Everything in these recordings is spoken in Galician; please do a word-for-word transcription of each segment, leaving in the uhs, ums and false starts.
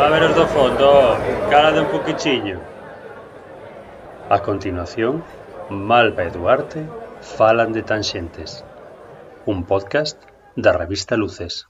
A ver os do fondo, calade un poquichiño. A continuación, Malva e Duarte falan de Tanxentes, un podcast da revista Luces.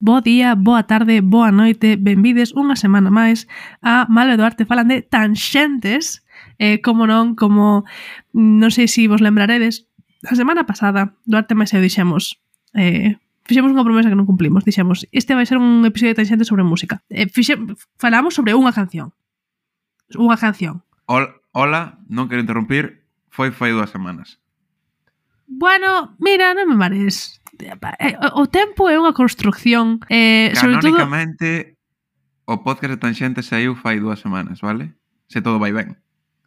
Bo día, boa tarde, boa noite, benvides unha semana máis a Malva e Duarte falan de Tanxentes. Eh, como non, como non sei se vos lembraredes, a semana pasada Duarte máis eu dixemos eh, fixemos unha promesa que non cumplimos, dixemos este vai ser un episodio de Tanxentes sobre música. eh, fixe, falamos sobre unha canción unha canción Hola, hola, non quero interrumpir, foi fai dúas semanas. Bueno, mira, non me mares. O tempo é unha construcción eh, sobre todo... Canónicamente, o podcast de Tanxentes saiu fai dúas semanas, vale? Se todo vai ben.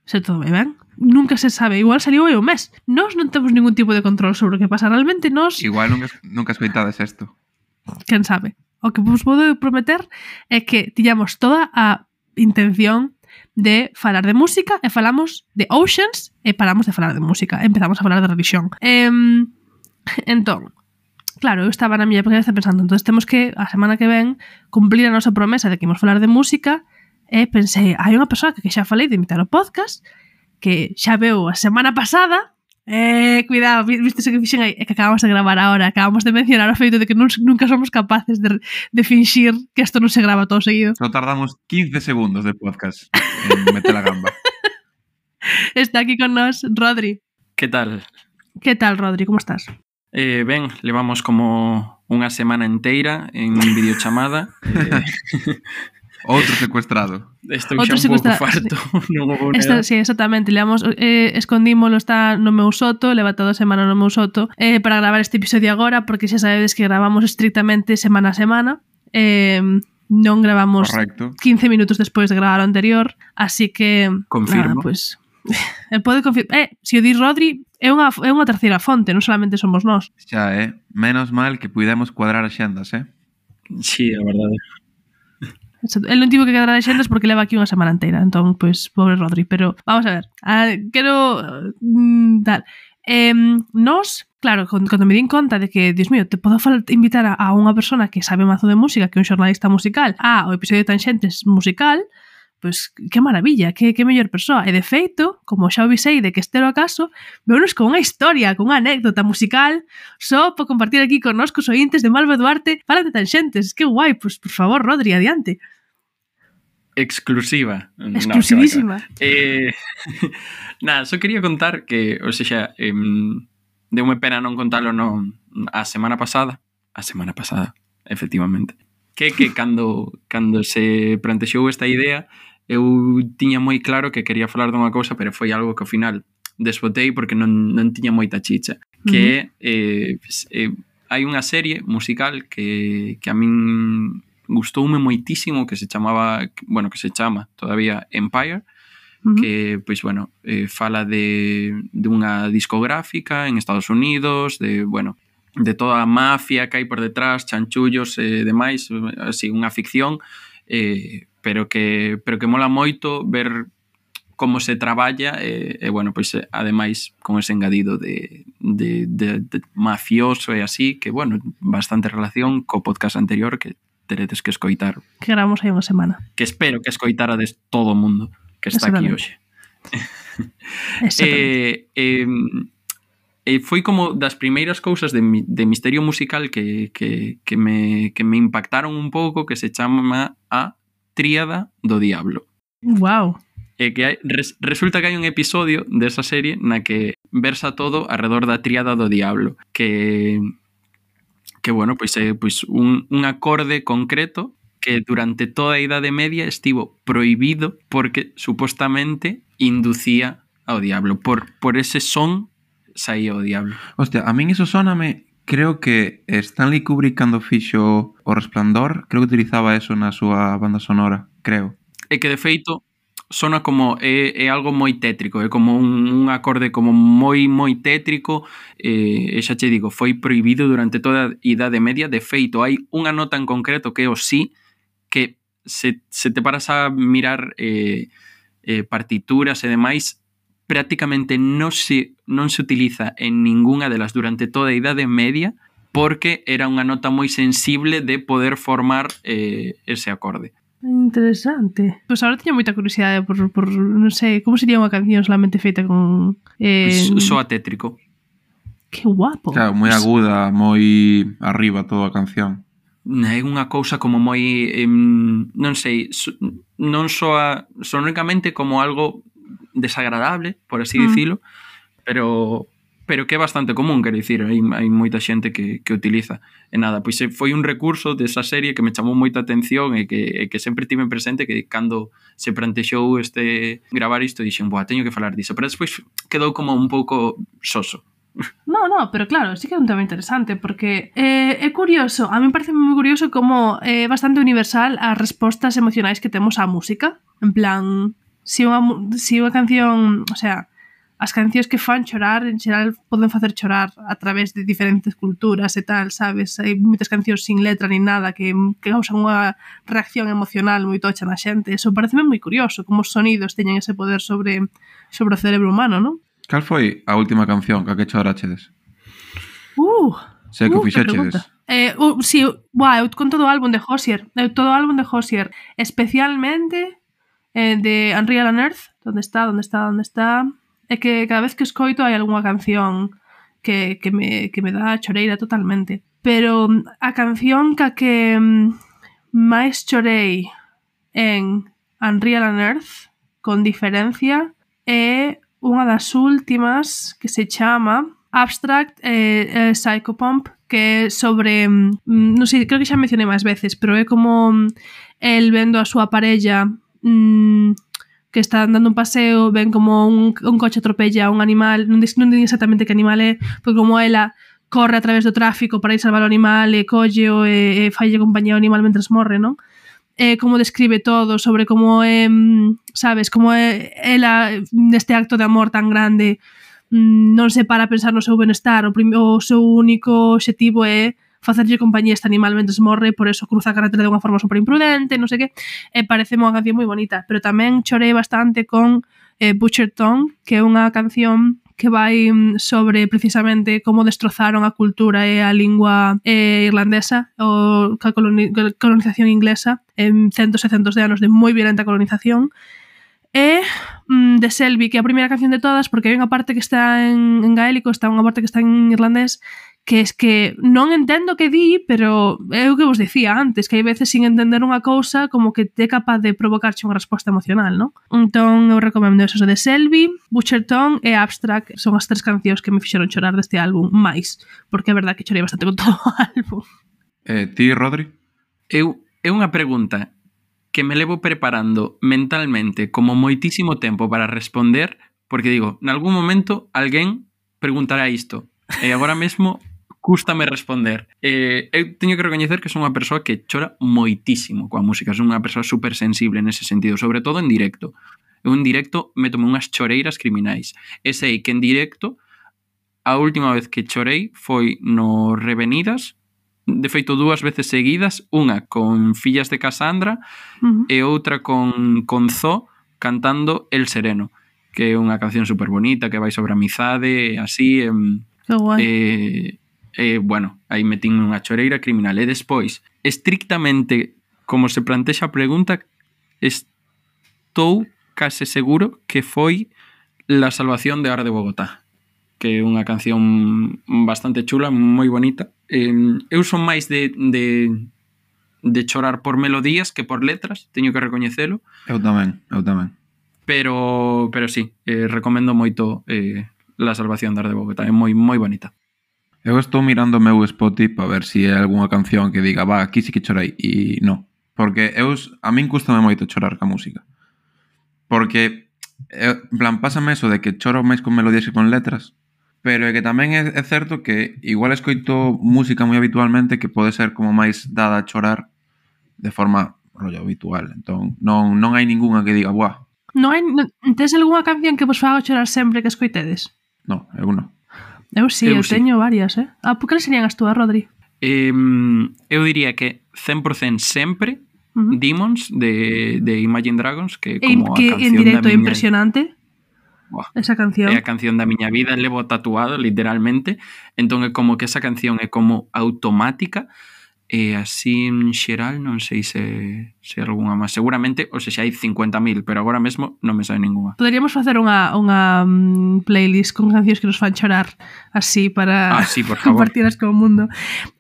Se todo vai ben. Nunca se sabe. Igual saliu aí un mes. Nós non temos ningún tipo de control sobre o que pasa. Realmente nós... Igual nunca, nunca escoitades isto. Quen sabe. O que vos podo prometer é que tiñamos toda a intención de falar de música e falamos de Oceans e paramos de falar de música. Empezamos a falar de religión. Eh, entón, claro, eu estaba na miña cabeza pensando, entón temos que, a semana que ven, cumplir a nosa promesa de que imos falar de música e pensei, hai unha persoa que xa falei de invitar ao podcast que xa veu a semana pasada. Eh, cuidado, viste que fixen aí, é que acabamos de gravar ahora, acabamos de mencionar o feito de que non, nunca somos capaces de, de finxir que isto non se grava todo seguido. Só tardamos quince segundos de podcast en meter a gamba. Está aquí con nós Rodri. Que tal? Que tal, Rodri, como estás? Eh, ben, levamos como unha semana inteira en videochamada. eh, Outro secuestrado. Estou Outro xa un pouco secuestra- farto. Non vou Esta, negar. sí, exactamente, leamos, eh, escondímolo, está no meu soto, leva toda a semana no meu soto eh, para gravar este episodio agora, porque xa sabedes que gravamos estrictamente semana a semana, eh, non gravamos Correcto. quince minutos despois de gravar o anterior, así que Confirmo. nada, pues, eh, pode confirmar, eh, se o di Rodri é unha, é unha terceira fonte, non solamente somos nós. Xa, eh? Menos mal que puidemos cuadrar as xendas, eh? Sí, a verdade. El non tivo que quedar a xendas porque leva aquí unha semana inteira. Entón, pois, pobre Rodri. Pero, vamos a ver. Ah, quero... Mm, tal. Eh, nos, claro, cando me din conta de que, Dios mío, te podo falar, invitar a, a unha persona que sabe mazo de música, que é un xornalista musical, a o episodio de Tanxentes musical, pois, que maravilla, que, que mellor persoa. E de feito, como xa o avisei de que este era o caso, veunos con unha historia, con unha anécdota musical, só por compartir aquí con nós, cos ointes de Malva e Duarte, falan de Tanxentes. Que guai, pois, por favor, Rodri, adiante. Exclusiva. Exclusivísima. No, eh, nada, só quería contar que, ou seja, eh, deume pena non contalo no, a semana pasada, a semana pasada, efectivamente, que que cando, cando se plantexou esta idea, eu tiña moi claro que quería falar dunha cousa, pero foi algo que ao final desbotei porque non, non tiña moita chicha, que uh-huh. eh, eh, hai unha serie musical que, que a min gustoume moitísimo, que se chamaba, bueno, que se chama todavía Empire, uh-huh. que, pois, bueno, eh, fala de, de unha discográfica en Estados Unidos, de, bueno, de toda a mafia que hai por detrás, chanchullos e eh, demais, así, unha ficción, eh, pero que pero que mola moito ver como se traballa e, eh, eh, bueno, pois, eh, ademais, con ese engadido de, de, de, de mafioso e así, que, bueno, bastante relación co podcast anterior que teredes que escoitar. Que gravamos aí unha semana. Que espero que escoitarades todo o mundo que está aquí hoxe. eh, eh, eh, foi como das primeiras cousas de, de misterio musical que, que, que, me, que me impactaron un pouco, que se chama a Tríada do Diablo. Wow. E que hai, res, resulta que hai un episodio desa serie na que versa todo alrededor da Tríada do Diablo, que que bueno, pois é pois un, un acorde concreto que durante toda a Idade Media estivo prohibido porque supostamente inducía ao diablo. Por, por ese son saía o diablo. Hostia, a min iso sóname, creo que Stanley Kubrick cando fixo O Resplandor, creo que utilizaba eso na súa banda sonora, creo. E que de feito sona como é, é algo moi tétrico, é como un, un acorde como moi moi tétrico, e, e xa che digo, foi prohibido durante toda a Idade Media. De feito, hai unha nota en concreto que é o si, que se, se te paras a mirar eh, eh, partituras e demais, prácticamente non se, non se utiliza en ninguna delas durante toda a Idade Media, porque era unha nota moi sensible de poder formar eh, ese acorde. Interesante. Pois pues agora teño moita curiosidade por, por non sei, como sería unha canción solamente feita con... Eh... Soa tétrico. Que guapo. Claro, moi aguda, moi arriba toda a canción. É unha cousa como moi... Eh, non sei, so, non soa sonoricamente como algo desagradable, por así mm. dicilo, pero... pero que é bastante común, quero dicir, hai, hai moita xente que, que utiliza. E nada, pois foi un recurso desa serie que me chamou moita atención e que, e que sempre tive presente, que cando se plantexou este gravar isto, dixen, boa, teño que falar diso, pero despois quedou como un pouco soso. No, no, pero claro, sí que é un tema interesante, porque eh, é curioso, a mí me parece moi curioso como é eh, bastante universal as respostas emocionais que temos á música, en plan, si unha, si unha canción, o sea, as cancións que fan chorar, en xeral, poden facer chorar a través de diferentes culturas e tal, sabes? Hai moitas cancións sin letra ni nada que, que causan unha reacción emocional moi tocha na xente. Eso pareceme moi curioso, como os sonidos teñen ese poder sobre, sobre o cerebro humano, non? Cal foi a última canción que a que chorachedes? Uh, Sei que uh, fixechedes. Eh, uh, si, sí, buah, eu con todo o álbum de Hozier, eu todo o álbum de Hozier, especialmente eh, de Unreal on Earth, onde está, onde está, onde está... É que cada vez que escoito hai algunha canción que, que, me, que me dá choreira totalmente. Pero a canción ca que máis chorei en Unreal on Earth, con diferencia, é unha das últimas que se chama Abstract eh, eh, Psychopomp, que é sobre, non sei, creo que xa mencionei máis veces, pero é como el vendo a súa parella mmm, que está dando un paseo, ven como un, un coche atropella a un animal, non din exactamente que animal é, pero como ela corre a través do tráfico para ir salvar o animal e colleo e, e falle compañía ao animal mentres morre, non? E como describe todo sobre como é, sabes, como é ela neste acto de amor tan grande non se para a pensar no seu benestar, o, prim, o seu único obxectivo é facerlle compañía a este animal mentres morre, por eso cruza a carretera de unha forma super imprudente, non sei que, e parece unha canción moi bonita, pero tamén chorei bastante con eh, Butcher Tongue, que é unha canción que vai sobre precisamente como destrozaron a cultura e a lingua eh, irlandesa, ou a colonización inglesa, en centos e centos de anos de moi violenta colonización, e mm, de Selby, que é a primeira canción de todas, porque hai unha parte que está en, en gaélico, está unha parte que está en irlandés, que es que non entendo que di, pero é o que vos dicía antes, que hai veces sin entender unha cousa como que é capaz de provocarche unha resposta emocional, non? Entón eu recomendo eso de Selby, Butcher Tongue e Abstract, son as tres cancións que me fixeron chorar deste álbum máis, porque é verdad que chorei bastante con todo o álbum. Eh, ti, Rodri? Eu, é unha pregunta que me levo preparando mentalmente como moitísimo tempo para responder, porque digo, en algún momento alguén preguntará isto, e agora mesmo cústame responder. Eh, eu teño que recoñecer que son unha persoa que chora moitísimo coa música, son unha persoa super sensible nese sentido, sobre todo en directo. Eu en directo metome unhas choreiras criminais. E sei que en directo a última vez que chorei foi no Revenidas, de feito dúas veces seguidas, unha con Fillas de Cassandra uh-huh. e outra con, con Zo cantando El Sereno, que é unha canción super bonita que vai sobre amizade, así, eh, que guai. Eh, eh, bueno, aí metín unha choreira criminal. E despois, estrictamente como se plantexa a pregunta, estou case seguro que foi La Salvación de Ar de Bogotá, que é unha canción bastante chula, moi bonita. Eh, eu son máis de, de, de chorar por melodías que por letras, teño que recoñecelo. Eu tamén, eu tamén. Pero, pero sí, eh, recomendo moito eh, La Salvación de Ar de Bogotá, é moi, moi bonita. Eu estou mirando o meu Spotify para ver se si hai algunha canción que diga, va, aquí sí que chorei, e non. Porque eu, a min custame moito chorar ca música. Porque, eu, en plan, pásame eso de que choro máis con melodías que con letras, pero é que tamén é, é certo que igual escoito música moi habitualmente que pode ser como máis dada a chorar de forma rollo habitual. Entón, non, non hai ningunha que diga, buah, Non hai, non, tes algunha canción que vos faga chorar sempre que escoitedes? No, eu non. Eu sí, eu, Eu eu sí. teño varias, eh? Ah, por que serían as túas, Rodri? Eh, eu diría que cen por cento sempre Uh -huh. Demons de, de Imagine Dragons, que é E, como a que en canción da directo é miña... impresionante Buah, esa canción. é a canción da miña vida, levo tatuado literalmente, entón é como que esa canción é como automática. E así en xeral non sei se, se algunha máis. Seguramente, ou seja, hai cincuenta mil, pero agora mesmo non me sabe ninguna. Poderíamos facer unha, unha um, playlist con cancións que nos fan chorar así para ah, sí, por favor. compartirlas co mundo.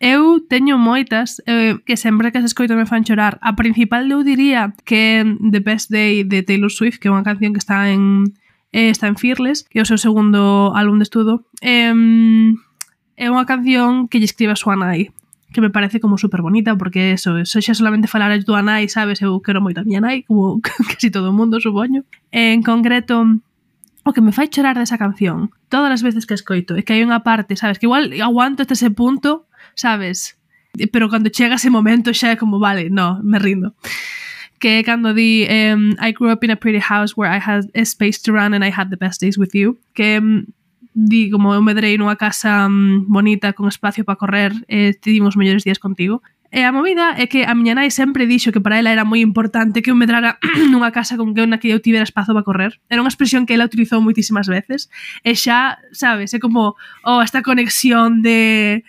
Eu teño moitas eh, que sempre que as escoito me fan chorar. A principal eu diría que The Best Day de Taylor Swift, que é unha canción que está en eh, está en Fearless, que é o seu segundo álbum de estudo. Eh, é unha canción que lle escribe a súa nai, que me parece como super bonita, porque eso, eso xa solamente falar a túa nai, sabes, eu quero moito a miña nai, como casi todo o mundo, supoño. En concreto, o que me fai chorar desa canción, todas as veces que escoito, é que hai unha parte, sabes, que igual aguanto hasta ese punto, sabes, pero cando chega ese momento xa é como, vale, no, me rindo. Que é cando di um, I grew up in a pretty house where I had a space to run and I had the best days with you, que um, di como eu medrei nunha casa um, bonita con espacio para correr e te dimos mellores días contigo. E a movida é que a miña nai sempre dixo que para ela era moi importante que eu medrara nunha casa con que na que eu tivera espazo para correr. Era unha expresión que ela utilizou moitísimas veces e xa, sabes, é como oh, esta conexión de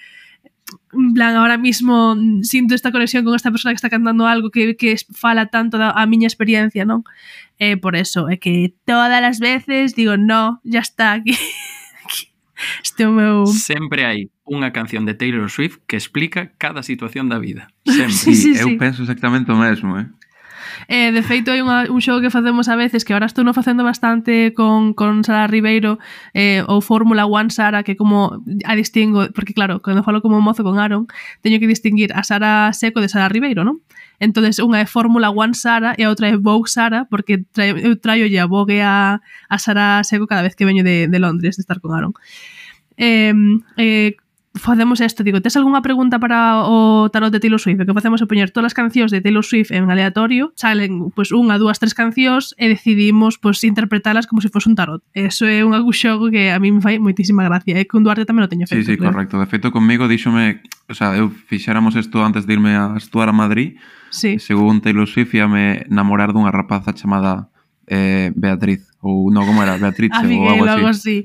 en plan, ahora mismo sinto esta conexión con esta persona que está cantando algo que, que fala tanto da a miña experiencia, non? E por eso, é que todas as veces digo, no, ya está aquí. Este o meu... Sempre hai unha canción de Taylor Swift que explica cada situación da vida. Sempre. Sí, sí, eu sí. penso exactamente o mesmo, eh? Eh, de feito, hai unha, un xogo que facemos a veces que ahora estou no facendo bastante con, con Sara Ribeiro eh, ou Fórmula One Sara, que como a distingo, porque claro, cando falo como mozo con Aaron teño que distinguir a Sara Seco de Sara Ribeiro, non? Entonces unha é Fórmula One Sara e a outra é Vogue Sara, porque traio, eu traio a Vogue a, a Sara Seco cada vez que veño de, de Londres de estar con Aaron. Eh, eh, facemos isto, digo, tes algunha pregunta para o tarot de Taylor Swift? O que facemos é poñer todas as cancións de Taylor Swift en aleatorio, salen pues, unha, dúas, tres cancións e decidimos pues, interpretalas como se fose un tarot. Eso é un xogo que a mí me fai moitísima gracia, e con Duarte tamén o teño feito. Sí, sí, creo. correcto. De feito, conmigo díxome, o sea, eu fixéramos isto antes de irme a estuar a Madrid, sí. Según Taylor Swift íame namorar dunha rapaza chamada eh, Beatriz, ou non, como era? Beatriz ou algo así. algo así.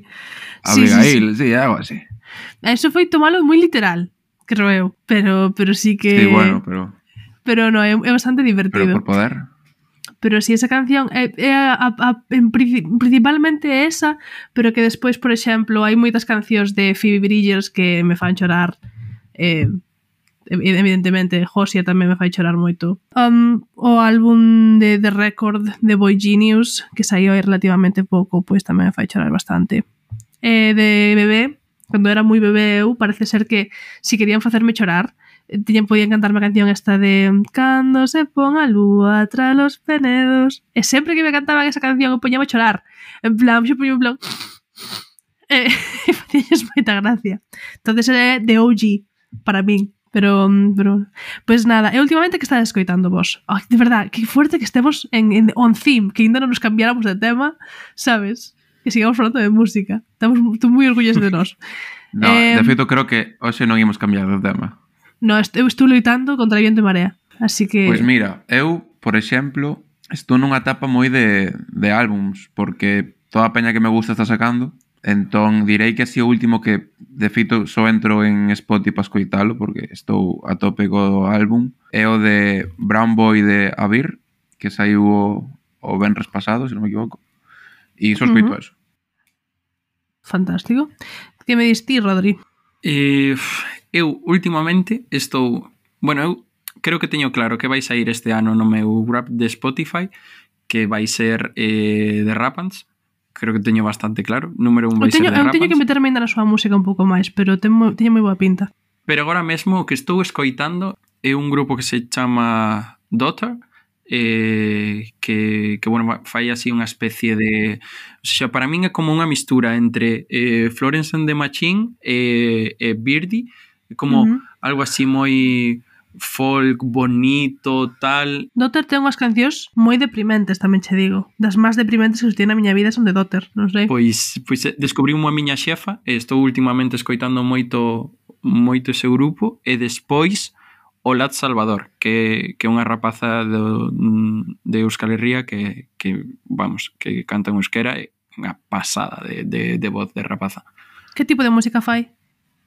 Abigail, sí, sí, sí, algo así. Eso foi tomalo moi literal, creo eu, pero, pero sí que... Sí, bueno, pero... Pero no, é, é bastante divertido. Pero por poder... Pero si esa canción é, é a, a, a, en, principalmente esa, pero que despois, por exemplo, hai moitas cancións de Phoebe Bridgers que me fan chorar, eh, evidentemente Josia tamén me fai chorar moito. Um, o álbum de The Record de Boy Genius, que saiu aí relativamente pouco, pois tamén me fai chorar bastante. Eh, de bebé, cando era moi bebé eu, parece ser que si querían facerme chorar, tiñan, podían cantarme a canción esta de Cando se pon a lúa tras los penedos, e sempre que me cantaban esa canción eu poñaba a chorar, en plan, eu poñía en plan e, e facíanles moita gracia. Entonces era de O G para min, pero, pero pues nada, e últimamente que estás escoitando vos? Oh, de verdad, que fuerte que estemos en, en on theme, que ainda non nos cambiáramos de tema, sabes? Que sigamos falando de música. Estamos moi orgullosos de nós. No, eh, de feito creo que hoxe non imos cambiar de tema. No, eu estou loitando contra viento e marea. Así que... Pois mira, eu, por exemplo, estou nunha etapa moi de, de álbums, porque toda a peña que me gusta está sacando, entón direi que así o último que de feito só entro en Spotify para escoitalo, porque estou a tope co álbum, é o de Brown Boy de Avir, que saiu o, o venres pasado, se non me equivoco. E só escoito uh -huh. eso. Fantástico. Que me dis ti, Rodri? Eh, eu, últimamente, estou... Bueno, eu creo que teño claro que vai sair este ano no meu rap de Spotify, que vai ser eh, de Rapans. Creo que teño bastante claro. Número un vai teño, ser de Rapans. Eu teño que meterme ainda na súa música un pouco máis, pero teño, teño moi boa pinta. Pero agora mesmo o que estou escoitando é un grupo que se chama Daughter, Eh, que, que bueno, fai así unha especie de, o sea, para min é como unha mistura entre eh, Florence and the Machine e, e Birdie, como uh -huh. algo así moi folk bonito, tal. Dotter ten unhas cancións moi deprimentes, tamén che digo. Das máis deprimentes que existían na miña vida son de Dotter, non sei. Pois, pois descubrí unha miña xefa e estou últimamente escoitando moito moito ese grupo e despois o Lat Salvador, que, que é unha rapaza do, de Euskal Herria que, que, vamos, que canta en euskera e unha pasada de, de, de voz de rapaza. Que tipo de música fai?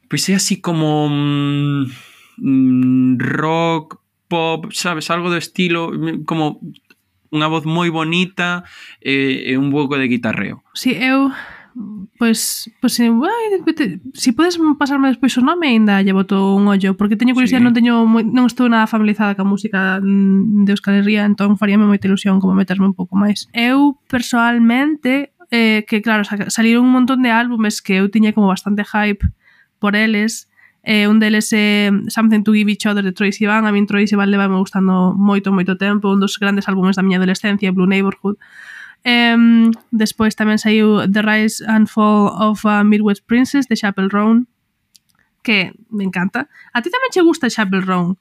Pois é así como mmm, rock, pop, sabes, algo do estilo, como unha voz moi bonita e, e un pouco de guitarreo. Si, eu... Pois, pois ai, si podes pasarme despois o nome aínda lle boto un ollo, porque teño curiosidade, sí. non teño moi, non estou nada familiarizada ca música de Euskal Herria, entón faríame moita ilusión como meterme un pouco máis. Eu, personalmente, eh, que claro, saliron un montón de álbumes que eu tiña como bastante hype por eles, eh, un deles é eh, Something to Give Each Other de Troye Sivan. A min Troye Sivan leva me gustando moito, moito tempo, un dos grandes álbumes da miña adolescencia, Blue Neighborhood. Um, despois tamén saiu The Rise and Fall of a Midwest Princess de Chappell Roan, que me encanta. A ti tamén che gusta Chappell Roan,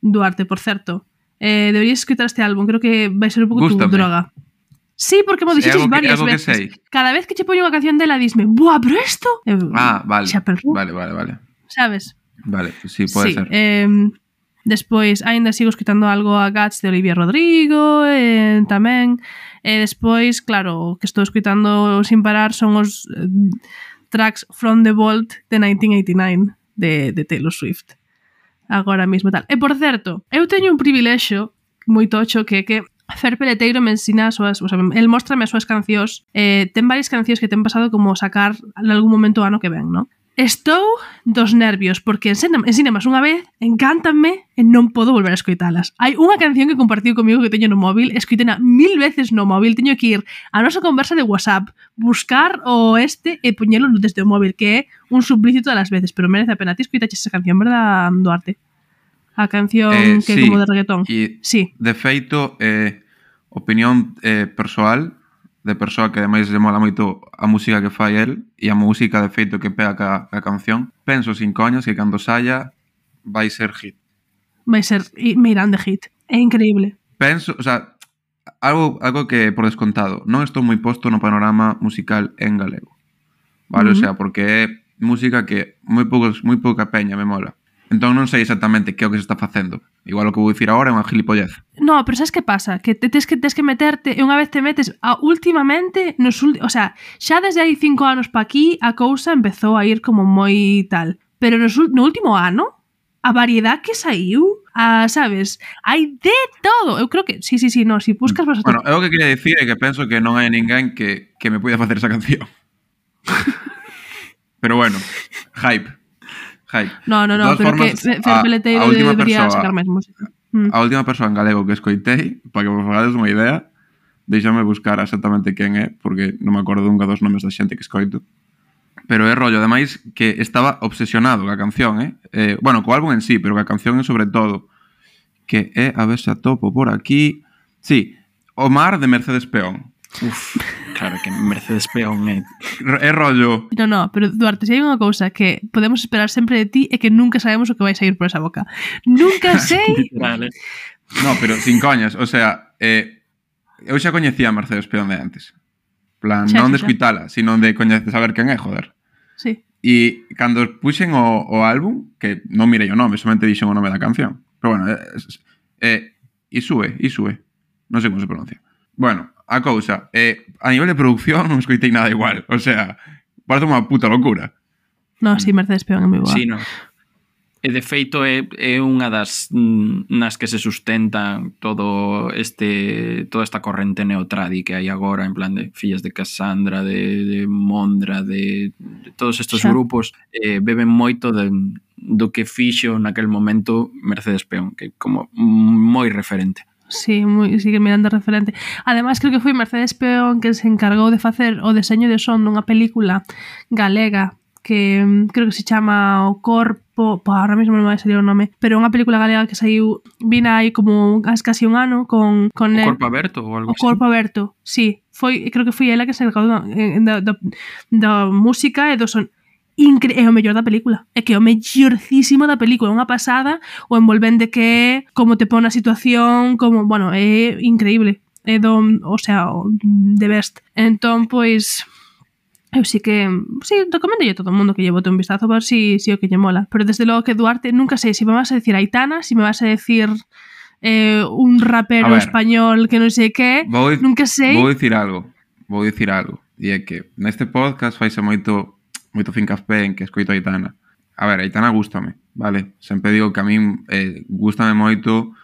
Duarte, por certo. Eh, deberías escutar este álbum, creo que vai ser un pouco tu droga. Sí, porque mo dixeches varias veces. Cada vez que che poño unha canción dela disme, "Buah, pero esto?" Ah, vale. Vale, vale, vale. Sabes? Vale, sí, pode sí, ser. Eh, despois, aínda sigo escutando algo a Guts de Olivia Rodrigo, eh, tamén. E despois, claro, o que estou escutando sin parar son os eh, tracks From the Vault de nineteen eighty-nine de, de Taylor Swift. Agora mismo tal. E por certo, eu teño un privilexio moi tocho que que Fer Peleteiro me ensina as súas, o sea, el móstrame as súas cancións. Eh, ten varias cancións que ten pasado como sacar en algún momento ano que ven, ¿no? Estou dos nervios, porque en cinemas unha vez encántanme e non podo volver a escoitalas. Hai unha canción que compartiu comigo que teño no móvil, escoitena mil veces no móvil, teño que ir a nosa conversa de WhatsApp, buscar o este e poñelo desde o móvil, que é un suplicio todas as veces, pero merece a pena. Ti escoitaches esa canción, verdad, Duarte? A canción eh, que é sí, como de reggaetón. E, sí. De feito, eh, opinión eh, persoal, de persoa que ademais lle mola moito a música que fai el e a música de feito que pega ca, ca canción, penso sin coñas que cando saia vai ser hit. Vai ser mirán de hit. É increíble. Penso, o sea, algo, algo que por descontado, non estou moi posto no panorama musical en galego. Vale, uh-huh. O sea, porque é música que moi poucos, moi pouca peña me mola. Entón non sei exactamente que é o que se está facendo. Igual o que vou dicir agora é unha gilipollez. No, pero sabes que pasa? Que te tes que, tes que meterte, e unha vez te metes, a, últimamente, nos, o sea, xa desde hai cinco anos pa aquí, a cousa empezou a ir como moi tal. Pero nos, no último ano, a variedad que saiu, a, sabes, hai de todo. Eu creo que, sí, sí, sí, no, si buscas vas a... Bueno, eu o que quería dicir é que penso que non hai ninguén que, que me poida facer esa canción. Pero bueno, hype. Hype. No, no, no, pero formas, que Fer Peleteiro debería sacar máis música. Mm. A última persoa en galego que escoitei, para que vos fagades unha idea, deixame buscar exactamente quen é, porque non me acordo nunca dos nomes da xente que escoito. Pero é rollo, ademais, que estaba obsesionado ca canción, eh? eh bueno, co álbum en sí, pero ca canción é sobre todo, que é, a ver se atopo por aquí... Sí, O mar de Mercedes Peón. Uf, claro que Mercedes Peón é... É rollo... No, no, pero Duarte, se hai unha cousa que podemos esperar sempre de ti é que nunca sabemos o que vai sair por esa boca. Nunca sei... Literal, eh? No, pero sin coñas, o sea, eh, eu xa coñecía a Mercedes Peón de antes. Plan, xa, non de escuitala, sino de coñecer, saber quen é, joder. Sí. E cando puxen o, o álbum, que non mirei o nome, somente dixen o nome da canción. Pero bueno, é... Eh, Isue, Isue. Non sei como se pronuncia. Bueno, a cousa, eh, a nivel de producción non escoitei nada igual. O sea, parece unha puta locura. No, sí, Mercedes Peón é moi boa. Sí, no. E de feito é, é unha das nas que se sustenta todo este toda esta corrente neotradi que hai agora, en plan de Fillas de Cassandra, de, de Mondra, de, de todos estes xa. Grupos, eh, beben moito de, do que fixo naquel momento Mercedes Peón, que é como moi referente. Sí, moi, sigue mirando referente. Ademais, creo que foi Mercedes Peón que se encargou de facer o deseño de son dunha película galega que creo que se chama O Corpo, pa, ahora mesmo non vai salir o nome, pero unha película galega que saiu, vina aí como casi un ano con, con O Corpo Aberto ou algo así. O Corpo Aberto, sí, foi, creo que foi ela que se encargou da, da, da, da música e do son. incre- é o mellor da película. É que é o mellorcísimo da película, é unha pasada, o envolvente que é, como te pon na situación, como, bueno, é increíble. É do, o sea, o the best. Entón, pois, eu sí que, sí, recomendo a todo o mundo que lle bote un vistazo para ver si, si o que lle mola. Pero desde logo que Duarte, nunca sei se si me vas a decir Aitana, si me vas a decir eh, un rapero A ver, español que non sei que, Vou, di- nunca sei. vou dicir algo. Vou dicir algo. E é que neste podcast faise moito moito fincapé en que escoito a Aitana. A ver, a Aitana gústame, vale? Sempre digo que a min eh, gústame moito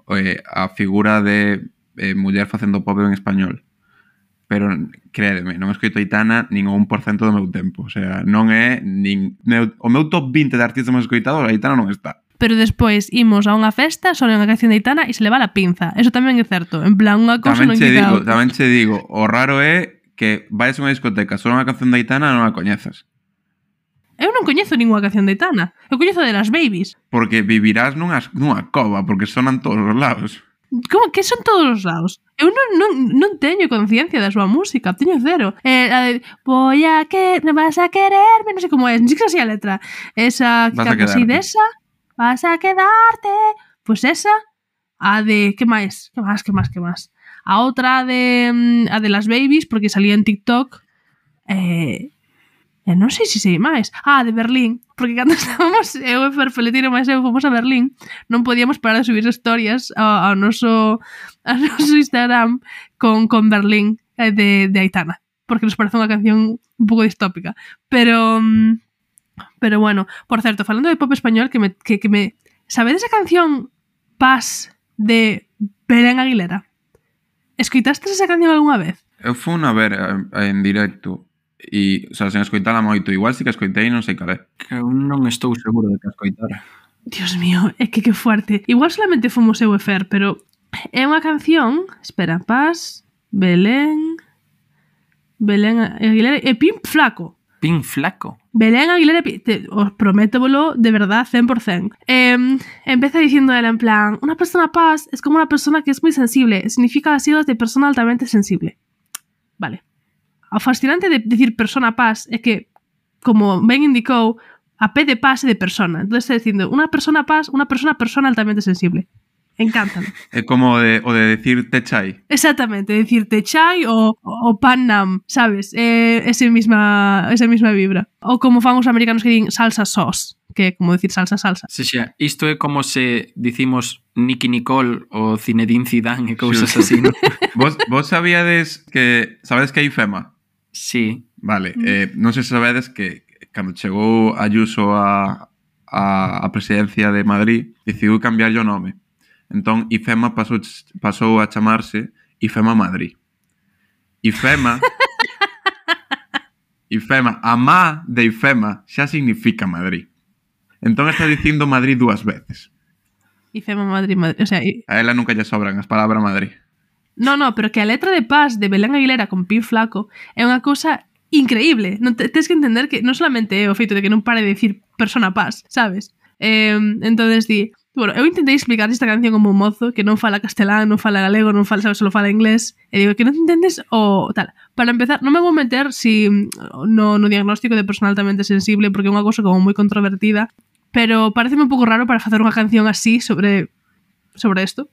eh, a figura de eh, muller facendo pop en español. Pero, crédeme, non escoito a Aitana nin o un por cento do meu tempo. O sea, non é nin... Meu, o meu top vinte de artistas máis escoitados, a Aitana non está. Pero despois imos a unha festa, só unha canción de Aitana e se le va la pinza. Eso tamén é certo. En plan, unha cousa Tamén non che quita digo, outra. tamén che digo, o raro é que vais a unha discoteca, só unha canción de Aitana non a coñezas. Eu non coñezo ninguna canción de Aitana. Eu coñezo de las Babies. Porque vivirás nunha, nunha cova, porque sonan todos os lados. Como que son todos os lados? Eu non, non, non teño conciencia da súa música, teño cero. Eh, a de, voy a que me vas a quererme, non sei como é, non sei que así a letra. Esa que Vas a canta así quedarte. de esa, vas a quedarte. Pois pues esa, a de, que máis? Que máis, que máis, que máis? A outra de mm, a de las Babies, porque salía en TikTok. Eh, e non sei se sei máis. Ah, de Berlín, porque cando estábamos eu e Ferfeletino máis eu fomos a Berlín, non podíamos parar de subir historias ao, ao noso ao noso Instagram con, con Berlín eh, de, de Aitana, porque nos parece unha canción un pouco distópica. Pero pero bueno, por certo, falando de pop español, que me, que, que me sabedes a canción Paz de Belén Aguilera? Escoitastes esa canción algunha vez? Eu fui a ver eh, en directo e, o sea, sen escoitala moito. Igual si que escoitei, non sei cal é. Que eu non estou seguro de que a escoitara. Dios mío, é que que fuerte. Igual solamente fomos eu e Fer, pero é unha canción, espera, Paz, Belén, Belén Aguilera e Pin Flaco. Pin Flaco. Belén Aguilera, te, os prométevolo de verdad cien por ciento. Eh, empieza diciendo ela en plan, una persona paz es como una persona que es muy sensible, significa siglas de persona altamente sensible. Vale. O fascinante de decir persona paz é que, como ben indicou, a P de paz é de persona. Entón está dicindo, unha persona paz, unha persona persona altamente sensible. Encántame. É como o de, o de decir te chai. Exactamente, decirte chai o, o pan nam, sabes? Eh, ese misma, esa misma vibra. Ou como fan os americanos que din salsa sauce, que é como decir salsa salsa. Se xa, isto é como se dicimos Nicky Nicole ou Zinedine Zidane e cousas así, non? Vos, vos sabíades que... Sabedes que hai FEMA? Sí. Vale, eh, non sei se sabedes que cando chegou Ayuso a, a, a presidencia de Madrid decidiu cambiarlle o nome. Entón, IFEMA pasou, pasou a chamarse IFEMA Madrid. IFEMA IFEMA, a má de IFEMA xa significa Madrid. Entón está dicindo Madrid dúas veces. IFEMA Madrid, Madrid, o sea, y... A ela nunca lle sobran as palabras Madrid. No, no, pero que a letra de Paz de Belén Aguilera con Pin Flaco é unha cousa increíble. Non te, tens que entender que non solamente é o feito de que non pare de decir persona Paz, sabes? Eh, entonces di, bueno, eu intentei explicar esta canción como un mozo que non fala castelán, non fala galego, non fala, sabes, solo fala inglés, e digo que non entendes o tal. Para empezar, non me vou meter si no, no diagnóstico de persona altamente sensible, porque é unha cousa como moi controvertida, pero pareceme un pouco raro para facer unha canción así sobre sobre esto.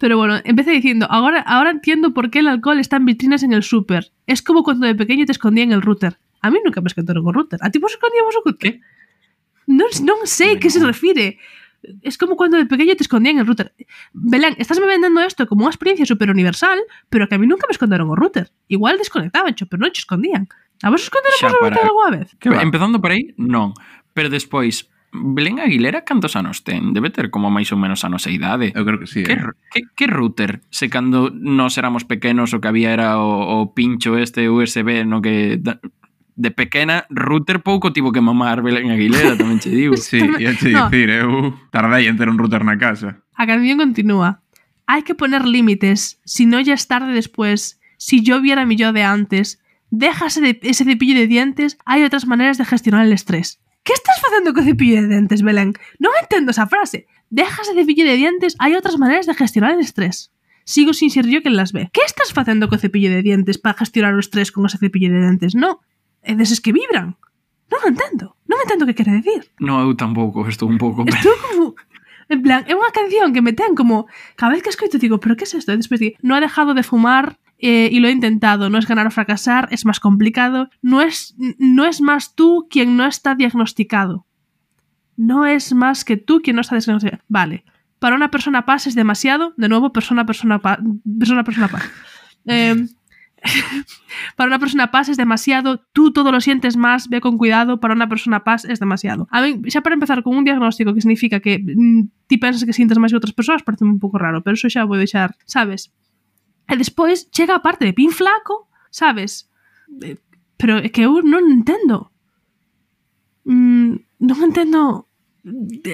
Pero bueno, empecé diciendo, ahora, ahora entiendo por qué el alcohol está en vitrinas en el súper. Es como cuando de pequeño te escondían el router. A mí nunca me esconderon o router. A ti vos escondíamos o router? Non, non sei que se refire. Es como cuando de pequeño te escondían el router. Belén, estás me vendendo esto como unha experiencia super universal, pero que a mí nunca me esconderon o router. Igual desconectaban, cho, pero non te escondían. A vos esconderon o router alguna vez? Que va? Empezando por aí, non. Pero despois, Belén Aguilera cantos anos ten? Debe ter como máis ou menos a nosa idade. Eu creo que sí. Que, eh? que, que router? Se cando nós éramos pequenos o que había era o, o pincho este U S B no que... De pequena, router pouco tivo que mamar Belén Aguilera, tamén che digo. Sí, ia che No. dicir, eu tardei en ter un router na casa. A canción continúa. Hay que poner límites, si no ya es tarde después. Si yo viera mi yo de antes. Déjase de ese cepillo de dientes, hay otras maneras de gestionar el estrés. ¿Qué estás facendo co cepillo de dientes, Belén? Non entendo esa frase. Déjase de cepillo de dientes, hay otras maneras de gestionar el estrés. Sigo sin ser yo quen las ve. ¿Qué estás facendo co cepillo de dientes para gestionar o estrés con ese cepillo de dientes? No, é deses que vibran. Non entendo. Non entendo o que quere decir. No, eu tampouco, estou un pouco... Estou como... En plan, é unha canción que me ten como... Cada vez que escoito digo, ¿pero qué es esto? E despois digo, no he dejado de fumar eh, y lo he intentado. No es ganar o fracasar, es más complicado. No es, no es más tú quien no está diagnosticado. No es más que tú quien no está diagnosticado. Vale. Para una persona paz es demasiado. De nuevo, persona, persona, paz. Persona, persona, paz. Eh... Para una persona paz es demasiado, tú todo lo sientes más, ve con cuidado, para una persona paz es demasiado. A mí, xa para empezar con un diagnóstico que significa que mm, ti pensas que sientes máis que outras persoas, parece un pouco raro, pero eso xa vou deixar, sabes? E despois chega a parte de Pin Flaco, sabes? Eh, pero é que eu non entendo. Mm, non entendo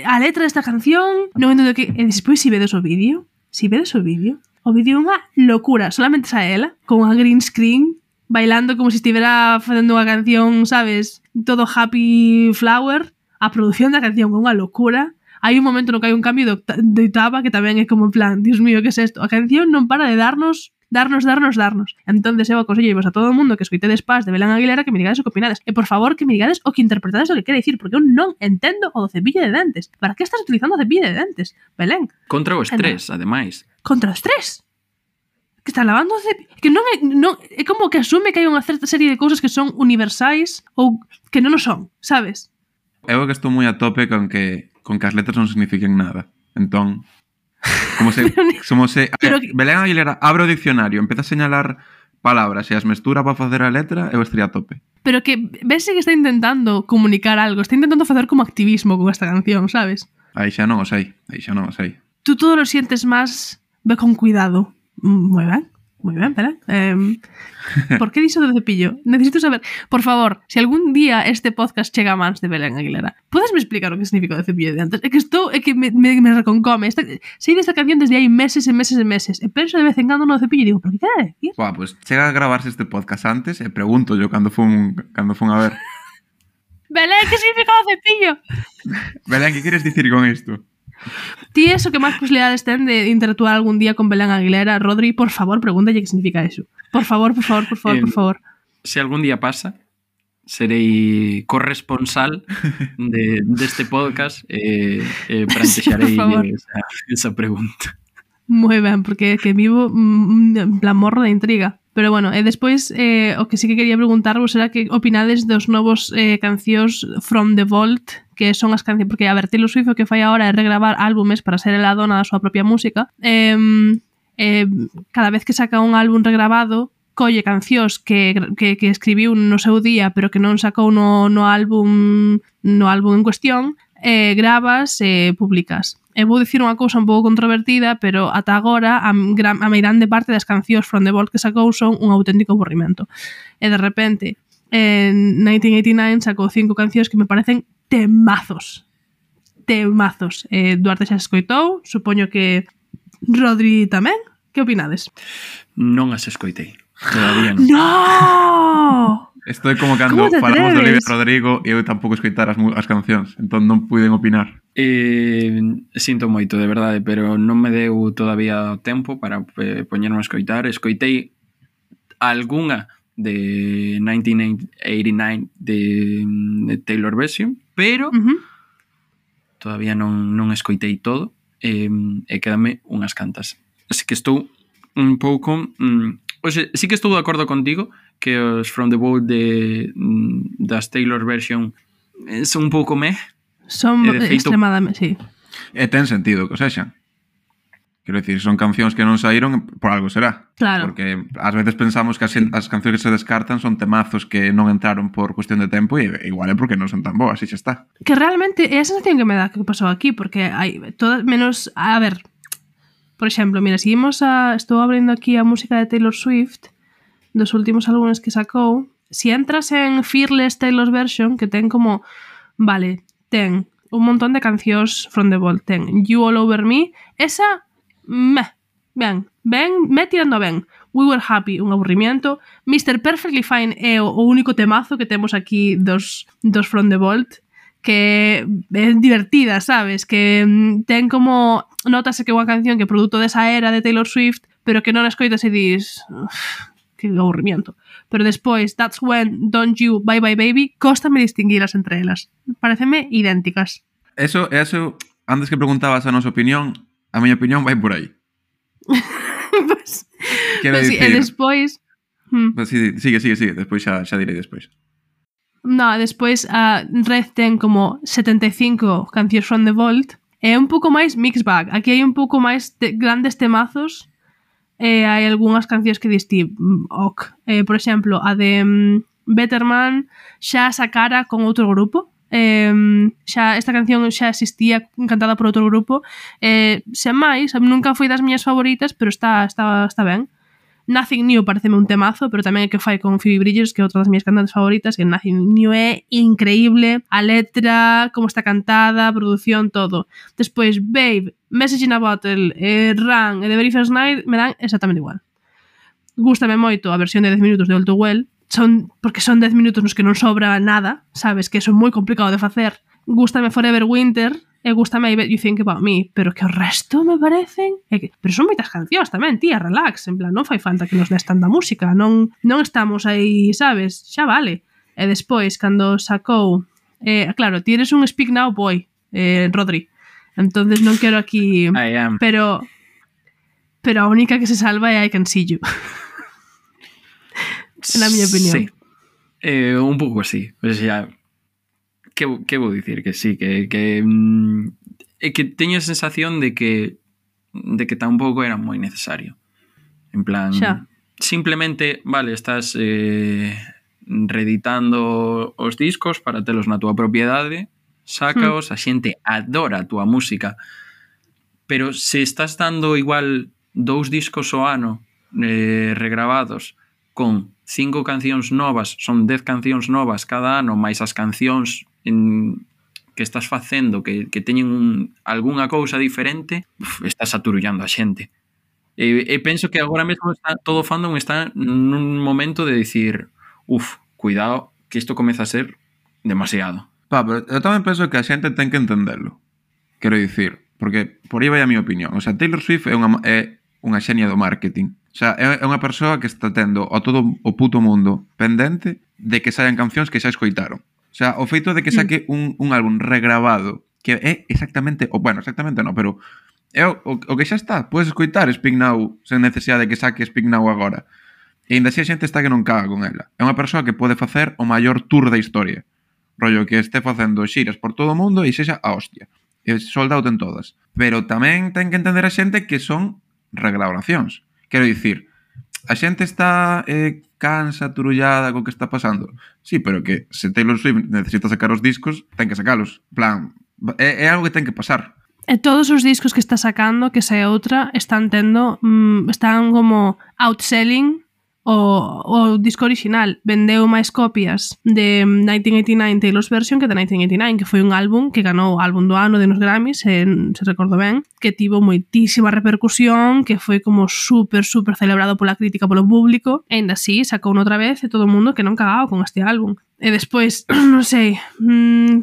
a letra desta canción, non entendo que... E despois si vedes o vídeo, si vedes o vídeo, o vídeo é unha locura. Solamente sa ela, con unha green screen, bailando como se estivera facendo unha canción, sabes? Todo happy flower. A produción da canción é unha locura. Hai un momento no que hai un cambio de, de octava que tamén é como en plan, Dios mío, que é isto? A canción non para de darnos, darnos, darnos, darnos. Entonces eu aconsello vos a todo o mundo que escoitedes Paz de Belén Aguilera que me digades o que opinades. E por favor que me digades o que interpretades o que quere dicir, porque eu non entendo o do cepillo de dentes. Para que estás utilizando o cepillo de dentes, Belén? Contra o estrés, ademais. Contra o estrés. Que está lavando o cepillo. Que non é, non, é como que asume que hai unha certa serie de cousas que son universais ou que non o son, sabes? Eu que estou moi a tope con que con que as letras non signifiquen nada. Entón, como se, como se Pero, Belén Aguilera abre o diccionario, empeza a señalar palabras e as mestura para facer a letra, eu estaría a tope. Pero que ves que está intentando comunicar algo, está intentando facer como activismo con esta canción, sabes? Aí xa non o sei, aí xa non o sei. Tú todo lo sientes más, ve con cuidado. Muy ben, muy ben, espera. Eh, ¿Por qué diso do cepillo? Necesito saber, por favor, si algún día este podcast chega a mans de Belén Aguilera, ¿puedes me explicar o que significa o cepillo de antes? É que estou, é que me, me, me reconcome. Esta, sei desta canción desde hai meses e meses e meses. E penso de vez en cando no cepillo e digo, ¿pero que quere decir? Buah, pues chega a gravarse este podcast antes e pregunto yo cando fun, cando fun a ver. Belén, que significa o cepillo? Belén, que queres dicir con isto? Ti eso que máis posibilidades ten de interactuar algún día con Belén Aguilera, Rodri, por favor, pregúntalle que significa eso. Por favor, por favor, por favor, eh, por favor. Se algún día pasa, serei corresponsal de deste de podcast e eh, eh, plantexarei sí, esa, esa pregunta. Moi ben, porque que vivo mm, en plan morro de intriga. Pero bueno, e despois eh, o que sí que quería preguntarvos era que opinades dos novos eh, cancións From the Vault, que son as cancións, porque a ver, Taylor Swift o que fai agora é regravar álbumes para ser ela dona da súa propia música. Eh, eh, cada vez que saca un álbum regrabado, colle cancións que, que, que escribiu no seu día, pero que non sacou no, no álbum no álbum en cuestión, eh, gravas e eh, publicas. E vou dicir unha cousa un pouco controvertida, pero ata agora a, gran, a meirande parte das cancións From the Vault que sacou son un auténtico aburrimento. E de repente, en nineteen eighty-nine sacou cinco cancións que me parecen temazos. Temazos. Eh, Duarte xa se escoitou, supoño que Rodri tamén. Que opinades? Non as escoitei. Todavía non. No! Estou como cando falamos de Olivia Rodrigo e eu tampouco escoitar as, as cancións, entón non puiden opinar. Eh, sinto moito, de verdade, pero non me deu todavía tempo para eh, poñerme a escoitar. Escoitei algunha de nineteen eighty-nine de, de Taylor version, pero uh-huh. todavía non, non escoitei todo eh, e quedame unhas cantas. Así que estou un pouco... Mm, oxe, sí que estou de acordo contigo que os From the Vault de, das Taylor version son un pouco meh. Son feito, extremadamente, sí. E ten sentido que o sexan. Quero dicir, son cancións que non saíron, por algo será. Claro. Porque ás veces pensamos que as, as cancións que se descartan son temazos que non entraron por cuestión de tempo e igual é porque non son tan boas, e xa está. Que realmente é a sensación que me dá que pasou aquí, porque hai todas menos... A ver, por exemplo, mira, seguimos a... Estou abrindo aquí a música de Taylor Swift dos últimos álbumes que sacou. Si entras en Fearless Taylor's version, que ten como... Vale, ten un montón de cancións From the Vault. Ten You All Over Me. Esa... Meh, ben, ben, me tirando ben. We Were Happy, un aburrimiento. mister Perfectly Fine é o, o único temazo que temos aquí dos, dos From the Vault, que é divertida, sabes? Que ten como... Notase que é unha canción que é produto desa era de Taylor Swift, pero que non escoitas e dis... Que aburrimiento. pero despois That's When, Don't You, Bye Bye Baby, cóstame distinguilas entre elas. Pareceme idénticas. Eso, eso, antes que preguntabas a nosa opinión, a miña opinión vai por aí. Pues, Quero pues sí, dicir... e despois... Hmm. Pues sí, sigue, sigue, sigue, despois xa, xa direi despois. No, despois a Red ten como setenta e cinco cancións from the Vault. É un pouco máis mix bag. Aquí hai un pouco máis de grandes temazos. E hai algunhas cancións que diste ok. Eh, por exemplo, a de um, Better Man xa sacara con outro grupo. Eh, xa esta canción xa existía cantada por outro grupo. Eh, sen máis, nunca foi das miñas favoritas, pero está, está, está ben. Nothing New pareceme un temazo, pero tamén é que fai con Phoebe Bridgers, que é outra das miñas cantantes favoritas, que Nothing New é increíble, a letra, como está cantada, a produción, todo. Despois, Babe, Message in a Bottle, eh, Run e The Very First Night me dan exactamente igual. Gústame moito a versión de dez minutos de All Too Well, son, porque son dez minutos nos que non sobra nada, sabes, que son moi complicado de facer. Gústame Forever Winter, e gústame I Bet You Think About Me, pero que o resto me parecen... É que, pero son moitas cancións tamén, tía, relax, en plan, non fai falta que nos des tanta música, non, non estamos aí, sabes, xa vale. E despois, cando sacou... Eh, claro, tienes un Speak Now Boy, eh, Rodri, entonces non quero aquí... I am. Pero... Pero a única que se salva é I Can See You. Na miña opinión. Sí, eh, un pouco así, o sea... Que, que vou dicir? Que sí, que, que, mm, é que teño a sensación de que de que tampouco era moi necesario. En plan, Xa. simplemente, vale, estás eh, reeditando os discos para telos na túa propiedade, sácaos, a xente adora a túa música, pero se estás dando igual dous discos ao ano eh, regravados con cinco cancións novas, son dez cancións novas cada ano, máis as cancións en, que estás facendo que, que teñen un, algunha cousa diferente, uf, estás aturullando a xente. E, e penso que agora mesmo está, todo o fandom está nun momento de dicir, uf, cuidado, que isto comeza a ser demasiado. Pa, pero eu tamén penso que a xente ten que entenderlo. Quero dicir, porque por aí vai a miña opinión. O sea, Taylor Swift é unha, é unha xenia do marketing. O sea, é unha persoa que está tendo a todo o puto mundo pendente de que saian cancións que xa escoitaron. O sea, o feito de que saque un, un álbum regrabado que é exactamente, o bueno, exactamente non, pero é o, o, o que xa está. Podes escoitar Speak Now sen necesidade de que saque Speak Now agora. E ainda así a xente está que non caga con ela. É unha persoa que pode facer o maior tour da historia. Rollo que este facendo xiras por todo o mundo e sexa a hostia. E sold out en todas. Pero tamén ten que entender a xente que son regrabacións. Quero dicir, a xente está eh, cansa, turullada co que está pasando. Sí, pero que se Taylor Swift necesita sacar os discos, ten que sacalos. En plan, é, é algo que ten que pasar. E todos os discos que está sacando, que sae outra, están tendo, mmm, están como outselling o, o disco original. Vendeu máis copias de nineteen eighty-nine Taylor's version que de nineteen eighty-nine, que foi un álbum que ganou álbum do ano de nos Grammys, se, se recordo ben, que tivo moitísima repercusión, que foi como super, super celebrado pola crítica, polo público, e ainda así sacou outra vez e todo o mundo que non cagao con este álbum. E despois, non sei... Mmm,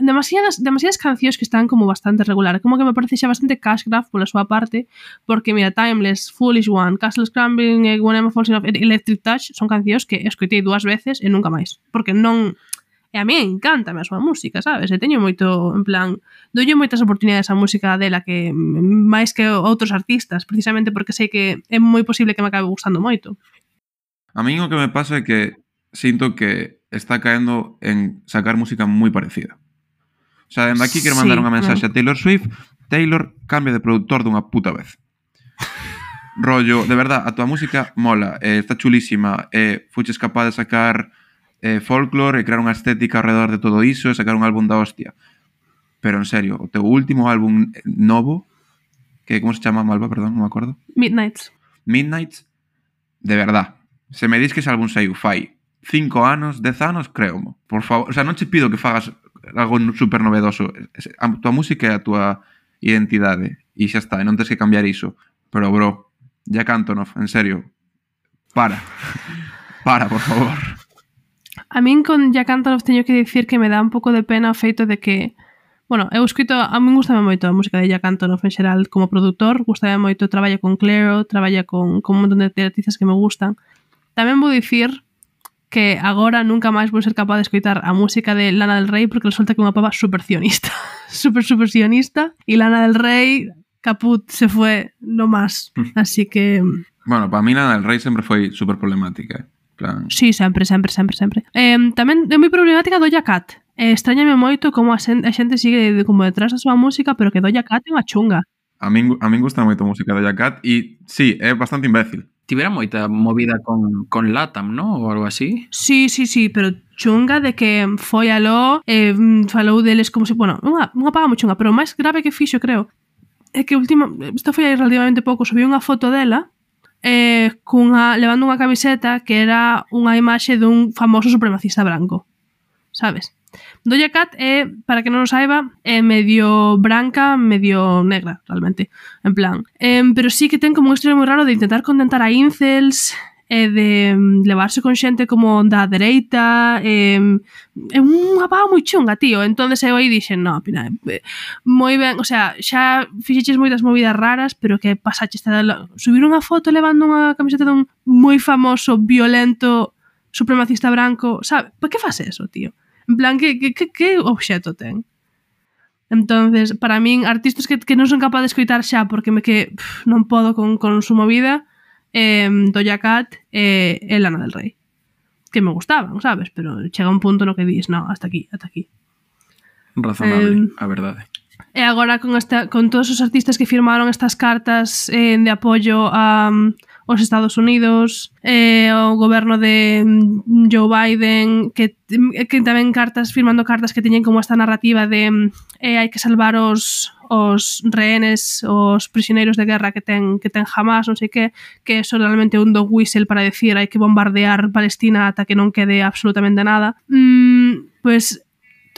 demasiadas, demasiadas cancións que están como bastante regular, como que me parece xa bastante cash grab pola súa parte, porque mira, Timeless, Foolish One, Castle Scrambling e When I'm Falling Off, Electric Touch son cancións que escoitei dúas veces e nunca máis, porque non, e a mí encanta a súa música, sabes, e teño moito, en plan, doulle moitas oportunidades á música dela que máis que outros artistas, precisamente porque sei que é moi posible que me acabe gustando moito. A mí o que me pasa é que sinto que está caendo en sacar música moi parecida. O sea, dende aquí quero mandar Sí, unha mensaxe a Taylor Swift. Taylor, cambia de productor dunha puta vez. Rollo, de verdad, a tua música mola, eh, está chulísima, eh, fuches capaz de sacar eh, folklore e crear unha estética alrededor de todo iso e sacar un álbum da hostia. Pero en serio, o teu último álbum novo, que como se chama, Malva, perdón, non me acordo. Midnights. Midnights, de verdad. Se me dis que ese álbum saiu fai cinco anos, dez anos, creomo. Por favor, o sea, non che pido que fagas algo super novedoso. A tua música é a tua identidade e xa está, e non tens que cambiar iso. Pero, bro, Jack Antonoff, en serio, para. Para, por favor. A min con Jack Antonoff teño que dicir que me dá un pouco de pena o feito de que, bueno, eu escrito, a min gustame moito a música de Jack Antonoff en xeral como produtor, gustame moito, traballa con Clairo, traballa con, con un montón de artistas que me gustan, Tamén vou dicir que agora nunca máis vou ser capaz de escoitar a música de Lana del Rey porque resulta que é unha pava super sionista. super, super sionista. E Lana del Rey, caput, se fue no más. Así que... Bueno, para mí Lana del Rey sempre foi super problemática. Plan... Sí, sempre, sempre, sempre, sempre. Eh, tamén é moi problemática Doja Cat. Eh, extrañame moito como a xente, a xente sigue de, como detrás da súa música, pero que Doja Cat é unha chunga. A min, a min gusta moito a música de Doja Cat e, sí, é bastante imbécil. Tivera moita movida con, con Latam, ¿no? Ou algo así. Sí, sí, sí, pero chunga de que foi aló, eh, falou deles como se... Bueno, unha, unha paga moi chunga, pero o máis grave que fixo, creo, é que última... Isto foi aí relativamente pouco, subiu unha foto dela eh, cunha, levando unha camiseta que era unha imaxe dun famoso supremacista branco, sabes? Doja Cat é, para que non o saiba, é medio branca, medio negra, realmente, en plan. Eh, pero sí que ten como un estilo moi raro de intentar contentar a incels, e de um, levarse con xente como da dereita, eh, é unha pava moi chunga, tío. Entonces eu aí dixen, no, pina, eh, moi ben, o sea, xa fixeches moitas movidas raras, pero que pasaches de subir unha foto levando unha camiseta dun moi famoso, violento, supremacista branco, sabe? Por que faz eso, tío? En plan, que, que, que, que obxeto ten? Entonces, para min, artistas que, que non son capaz de escoitar xa porque me que pff, non podo con, con su movida, eh, Doja Cat e eh, Lana del Rey. Que me gustaban, sabes? Pero chega un punto no que dis, no, hasta aquí, hasta aquí. Razonable, eh, a verdade. E agora con, esta, con todos os artistas que firmaron estas cartas eh, de apoio a... Um, os Estados Unidos, eh, o goberno de Joe Biden, que, que tamén cartas, firmando cartas que teñen como esta narrativa de eh, hai que salvar os, os rehenes, os prisioneiros de guerra que ten, que ten Hamas, non sei que, que eso realmente é un dog whistle para decir hai que bombardear Palestina ata que non quede absolutamente nada. Mm, pues,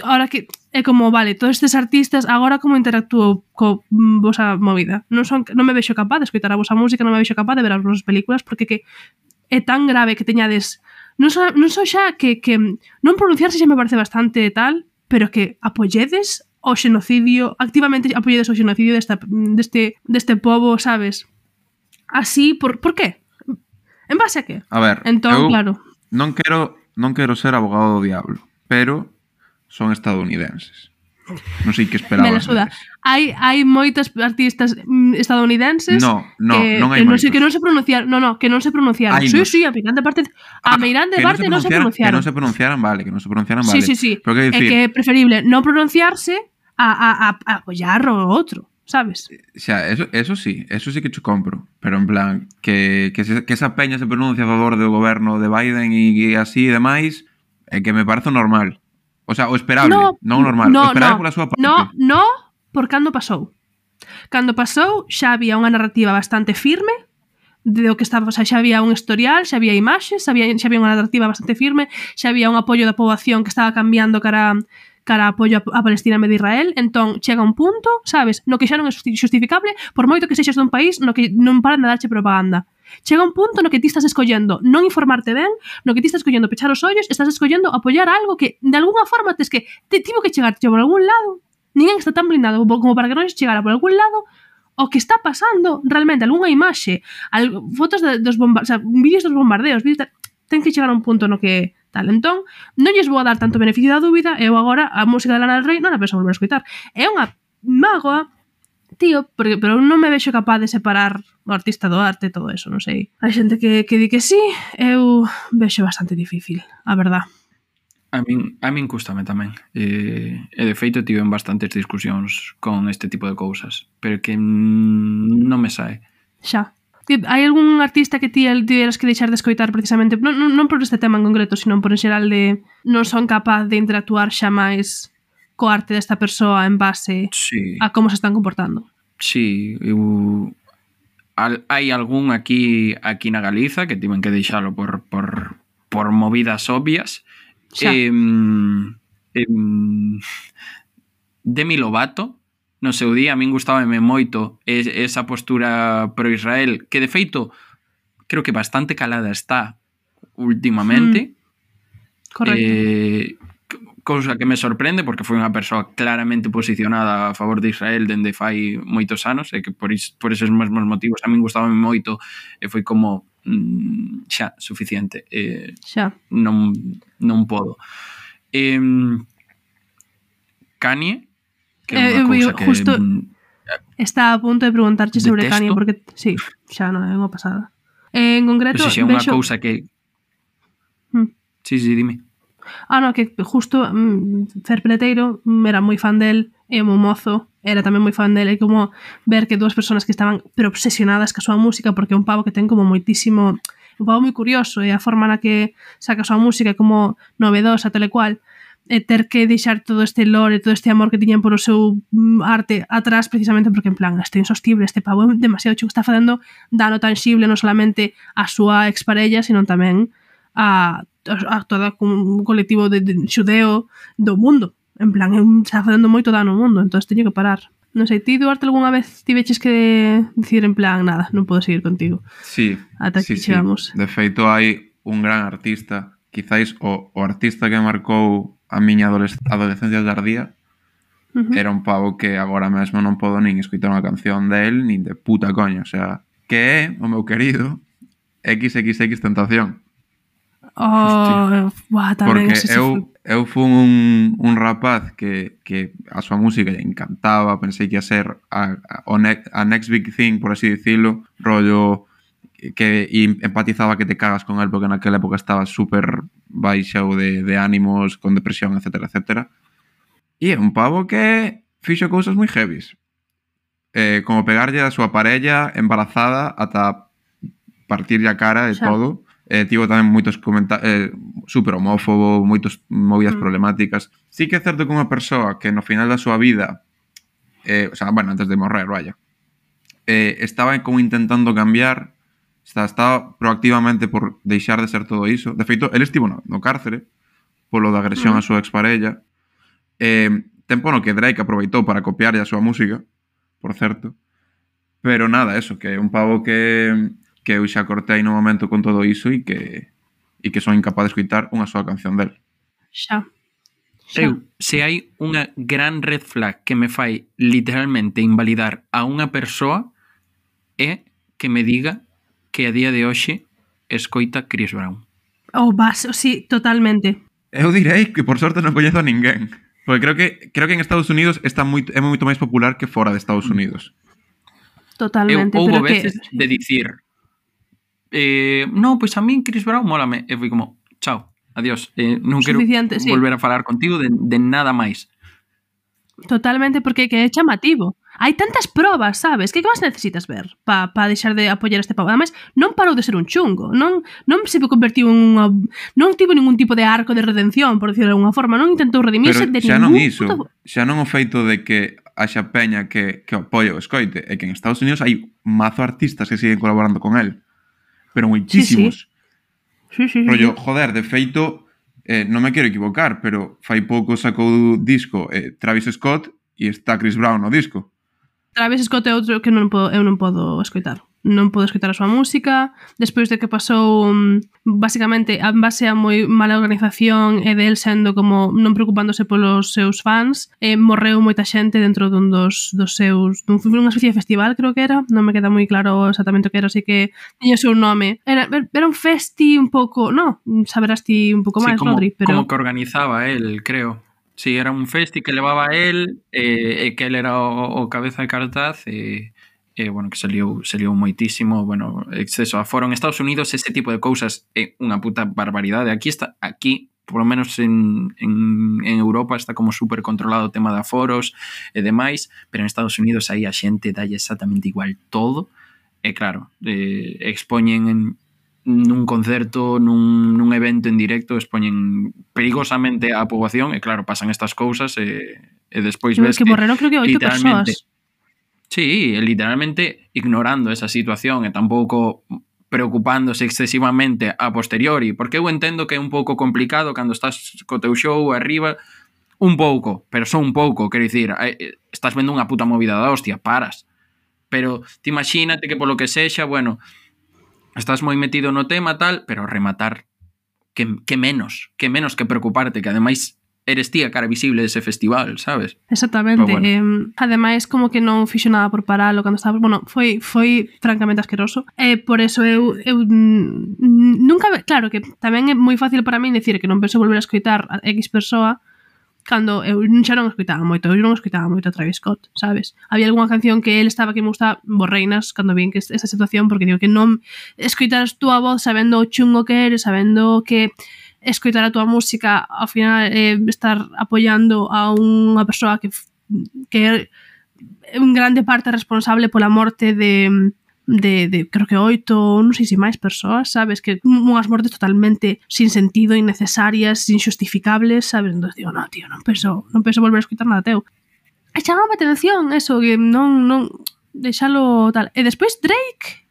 ahora que é como, vale, todos estes artistas agora como interactúo co vosa movida. Non son, non me vexo capaz de escoitar a vosa música, non me vexo capaz de ver as vosas películas porque que é tan grave que teñades non só, non só xa que, que non pronunciarse xa me parece bastante tal, pero que apoyedes o xenocidio, activamente apoyedes o xenocidio desta, deste, deste pobo, sabes? Así, por, por qué? En base a que? A ver, entón, eu claro. non quero, non quero ser abogado do diablo, pero son estadounidenses. Non sei que esperabas. Me la suda. Hai, hai moitos artistas estadounidenses no, no, que, non hai que, non se, moitos. que non se pronunciaron. No, no, que non se pronunciaron. Hai Sí, nos. sí, a Meirande parte, a Ah, Meirande que parte non se pronunciaran- pronunciaron. Que non se pronunciaran, vale, que non se pronunciaran, Sí, vale. sí, sí. Pero que É dicir, que é preferible non pronunciarse a, a, a, a apoyar o outro, sabes? xa, eso, eso sí, eso sí que cho compro, pero en plan, que, que, se, que esa peña se pronuncia a favor do goberno de Biden e, e así e demais, é que me parece normal. O sea, o esperable, No, non normal, no, o esperable no, pola súa parte. No, no, por cando pasou. Cando pasou xa había unha narrativa bastante firme de o que estaba, o sea, xa había un historial, xa había imaxes, xa había, xa había unha narrativa bastante firme, xa había un apoio da poboación que estaba cambiando cara cara a apoio a, a Palestina e de Israel. Entón, chega un punto, sabes, no que xa non é justificable, por moito que sexas dun país no que non paran de darche propaganda. Chega un punto no que ti estás escollendo non informarte ben, no que ti estás escollendo pechar os ollos, estás escollendo apoiar algo que de alguna forma tes que te tivo que chegarte por algún lado. Ninguén está tan blindado como para que non chegara por algún lado o que está pasando realmente, algunha imaxe, al, fotos de, dos bombardeos, o sea, vídeos dos bombardeos, vídeos de, ten que chegar a un punto no que tal. Entón, non lles vou a dar tanto beneficio da dúbida, eu agora a música de Lana del Rey non a penso volver a escoitar. É unha mágoa, tío, porque, pero non me vexo capaz de separar o artista do arte e todo eso, non sei. Hai xente que, que di que sí, eu vexo bastante difícil, a verdad. A min, a min cústame tamén. E, e de feito tiven bastantes discusións con este tipo de cousas, pero que mm, non me sae. Xa. Hai algún artista que ti tiveras que deixar de escoitar precisamente, non, non, non por este tema en concreto, sino por en xeral de non son capaz de interactuar xa máis co arte desta persoa en base Sí. a como se están comportando? Sí, eu... Al, hai algún aquí aquí na Galiza que tiven que deixalo por, por, por movidas obvias. Xa. Eh, eh, Demi Lovato no seu día a min gustábame moito esa postura pro Israel, que de feito creo que bastante calada está últimamente. Mm. Correcto. Eh, cousa que me sorprende porque foi unha persoa claramente posicionada a favor de Israel dende fai moitos anos e que por, is, por eses mesmos motivos a min gustábame moito e foi como mm, xa, suficiente. Eh, Xa. non, non podo. Eh, Kanye, que é Eh, unha eu- cousa eu que justo- mm, Está a punto de preguntarche sobre Detesto. Kanye porque sí, xa non é unha pasada. Eh, en concreto, o sea, é unha vexo... cousa que... Mm. Sí, sí, dime. Ah, no, que justo mm, Fer Peleteiro mm, era moi fan del, e o meu mozo era tamén moi fan del, e como ver que dúas persoas que estaban pero obsesionadas ca súa música, porque é un pavo que ten como moitísimo, un pavo moi curioso, e a forma na que saca a súa música é como novedosa, tal e cual, e ter que deixar todo este lore, todo este amor que tiñan por o seu mm, arte atrás, precisamente porque en plan, este insostible, este pavo é demasiado chulo, está facendo dano tangible non solamente a súa exparella, sino tamén a, a todo un colectivo de, de xudeo do mundo. En plan, é un, está facendo moito dano ao mundo, entón teño que parar. Non sei, ti, Duarte, algunha vez tiveches que dicir en plan, nada, non podo seguir contigo. Sí, Ata sí, aquí sí. chegamos. De feito, hai un gran artista, quizáis o, o artista que marcou a miña adolesc adolescencia tardía, Uh -huh. era un pavo que agora mesmo non podo nin escoitar unha canción del, nin de puta coña, o sea, que é o meu querido equis equis equis Tentación. Oh, buah, tamén Porque ese se foi. eu, eu fun un, un rapaz que, que a súa música lle encantaba, pensei que ia ser a, a, o ne a next big thing, por así dicilo, rollo que e empatizaba que te cagas con él porque naquela época estaba super baixo de, de ánimos, con depresión, etcétera, etcétera. E é un pavo que fixo cousas moi heavies. Eh, como pegarlle a súa parella embarazada ata partirlle a cara e Xa. todo. Eh, tivo tamén moitos comentarios eh, super homófobo, moitos movidas Mm. problemáticas. Sí que é certo que unha persoa que no final da súa vida, eh, o sea, bueno, antes de morrer, vaya, eh, estaba como intentando cambiar, está, estaba proactivamente por deixar de ser todo iso. De feito, el estivo no, no cárcere polo da agresión Mm. á súa exparella. Eh, tempo no que Drake aproveitou para copiarlle a súa música, por certo. Pero nada, eso, que é un pavo que que eu xa cortei no momento con todo iso e que e que son incapaz de escoitar unha soa canción del. Xa. Xa. Eu, se hai unha gran red flag que me fai literalmente invalidar a unha persoa é que me diga que a día de hoxe escoita Chris Brown. Oh, vas, sí, totalmente. Eu direi que por sorte non coñezo a ninguén. Porque creo que creo que en Estados Unidos está moito, é moito máis popular que fora de Estados Unidos. Totalmente, Eu houbo pero que... veces de dicir eh, no, pois a min Chris Brown mólame. E foi como, chao, adiós. Eh, non quero Suficiente, sí. volver a falar contigo de, de nada máis. Totalmente, porque que é chamativo. Hai tantas probas, sabes? Que que máis necesitas ver para pa deixar de apoiar este pavo? Ademais, non parou de ser un chungo. Non, non se convertiu en unha... Non tivo ningún tipo de arco de redención, por decirlo de alguna forma. Non intentou redimirse Pero de xa ningún... non iso, puto... xa non o feito de que haxa peña que, que apoia o escoite, é que en Estados Unidos hai mazo artistas que siguen colaborando con él. Pero moitísimos. Sí, sí, sí, Rollo, sí. joder, de feito, eh, non me quero equivocar, pero fai pouco sacou disco eh, Travis Scott e está Chris Brown no disco. Travis Scott é outro que non podo, eu non podo escoitar. Non podo escoitar a súa música. Despois de que pasou, um, basicamente, en base a moi mala organización e del sendo como non preocupándose polos seus fans, eh, morreu moita xente dentro dun dos, dos seus... Dun, unha especie de festival, creo que era. Non me queda moi claro exactamente o que era, así que tiña o seu nome. Era, era un festi un pouco... No, saberás ti un pouco Sí, máis, como, Rodri, pero... como que organizaba él, creo. Sí, era un festi que levaba él e eh, que él era o, o cabeza de cartaz e... Eh, bueno, que saliu, saliu moitísimo, bueno, exceso a foro en Estados Unidos, ese tipo de cousas é unha puta barbaridade. Aquí está, aquí, por lo menos en, en, en Europa está como super controlado o tema de aforos e demais, pero en Estados Unidos aí a xente dalle exactamente igual todo, e claro, eh, expoñen en nun concerto, nun, nun evento en directo, expoñen perigosamente a poboación, e claro, pasan estas cousas e, e despois ves que, que morreron creo que oito literalmente persoas. Sí, literalmente ignorando esa situación e tampouco preocupándose excesivamente a posteriori, porque eu entendo que é un pouco complicado cando estás co teu show arriba, un pouco, pero só un pouco, quero dicir, estás vendo unha puta movida da hostia, paras. Pero ti imagínate que polo que sexa, bueno, estás moi metido no tema tal, pero rematar que, que menos, que menos que preocuparte, que ademais eres ti a cara visible dese festival, sabes? Exactamente. Pero bueno. Eh, ademais, como que non fixo nada por paralo cando estaba... Bueno, foi, foi francamente asqueroso. E eh, por eso eu, eu nunca... Claro que tamén é moi fácil para min decir que non penso volver a escoitar a X persoa cando eu xa non escoitaba moito, eu non escoitaba moito a Travis Scott, sabes? Había algunha canción que él estaba que me gustaba borreinas cando vi que esa situación, porque digo que non escoitaras túa voz sabendo o chungo que eres, sabendo que escoitar a túa música ao final eh, estar apoiando a unha persoa que que é un grande parte responsable pola morte de de, de creo que oito, non sei se máis persoas, sabes, que unhas mortes totalmente sin sentido, innecesarias, injustificables, sabes, entón digo, no, tío, non penso, non penso volver a escoitar nada teu. E chamaba a atención eso, que non, non deixalo tal. E despois Drake,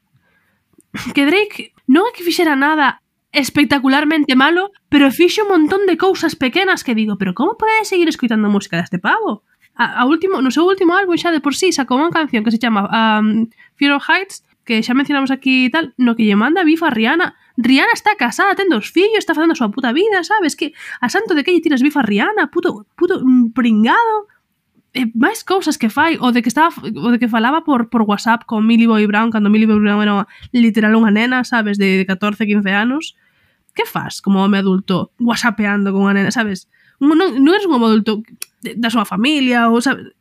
que Drake non é que fixera nada espectacularmente malo, pero fixo un montón de cousas pequenas que digo, pero como pode seguir escoitando música deste pavo? A, a último, no seu último álbum xa de por sí sacou unha canción que se chama um, Fear of Heights, que xa mencionamos aquí e tal, no que lle manda bifa a Rihanna. Rihanna está casada, ten dos fillos, está facendo a súa puta vida, sabes? Que a santo de que lle tiras bifa a Rihanna, puto, puto pringado. E máis cousas que fai, o de que estaba o de que falaba por, por WhatsApp con Millie Bobby Brown, cando Millie Bobby Brown era literal unha nena, sabes, de catorce, quince anos. Que faz como home adulto whatsappeando con unha nena, sabes? Non, non eres un home adulto da súa familia, ou sabes?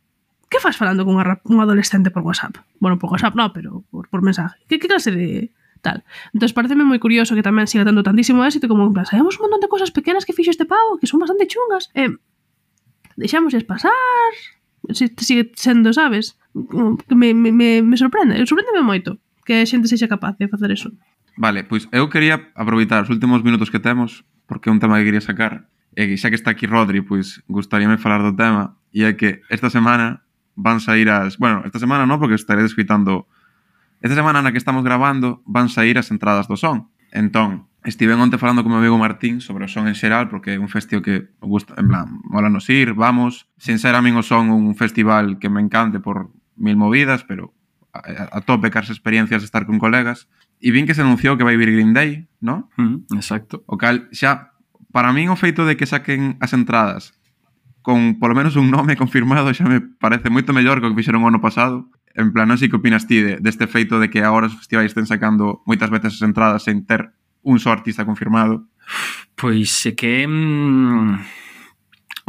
Que faz falando con unha, un adolescente por WhatsApp? Bueno, por WhatsApp no, pero por, por mensaje. Que, que clase de tal? Entón, pareceme moi curioso que tamén siga tendo tantísimo éxito como en plan, sabemos un montón de cosas pequenas que fixo este pavo, que son bastante chungas. Eh, deixámosles pasar, se sigue sendo, sabes? Que me, me, me, me sorprende, sorprendeme moito que a xente sexa capaz de facer eso. Vale, pois eu quería aproveitar os últimos minutos que temos, porque é un tema que quería sacar, e xa que está aquí Rodri, pois gustaríame falar do tema, e é que esta semana van sair as... Bueno, esta semana non, porque estaré escoitando... Esta semana na que estamos grabando van sair as entradas do Son. Entón, estiven onte falando con meu amigo Martín sobre o Son en xeral, porque é un festivo que gusta, en plan, mola nos ir, vamos. Sin ser a min o Son un festival que me encante por mil movidas, pero a, a tope cas experiencias de estar con colegas. E vin que se anunciou que vai vir Green Day, ¿no? Mm, exacto. O cal, xa, para min o feito de que saquen as entradas con polo menos un nome confirmado xa me parece moito mellor que o que fixeron o ano pasado. En plan, non sei que opinas ti de, deste feito de que agora os festivais estén sacando moitas veces as entradas sen ter un só artista confirmado. Pois é que... Mm,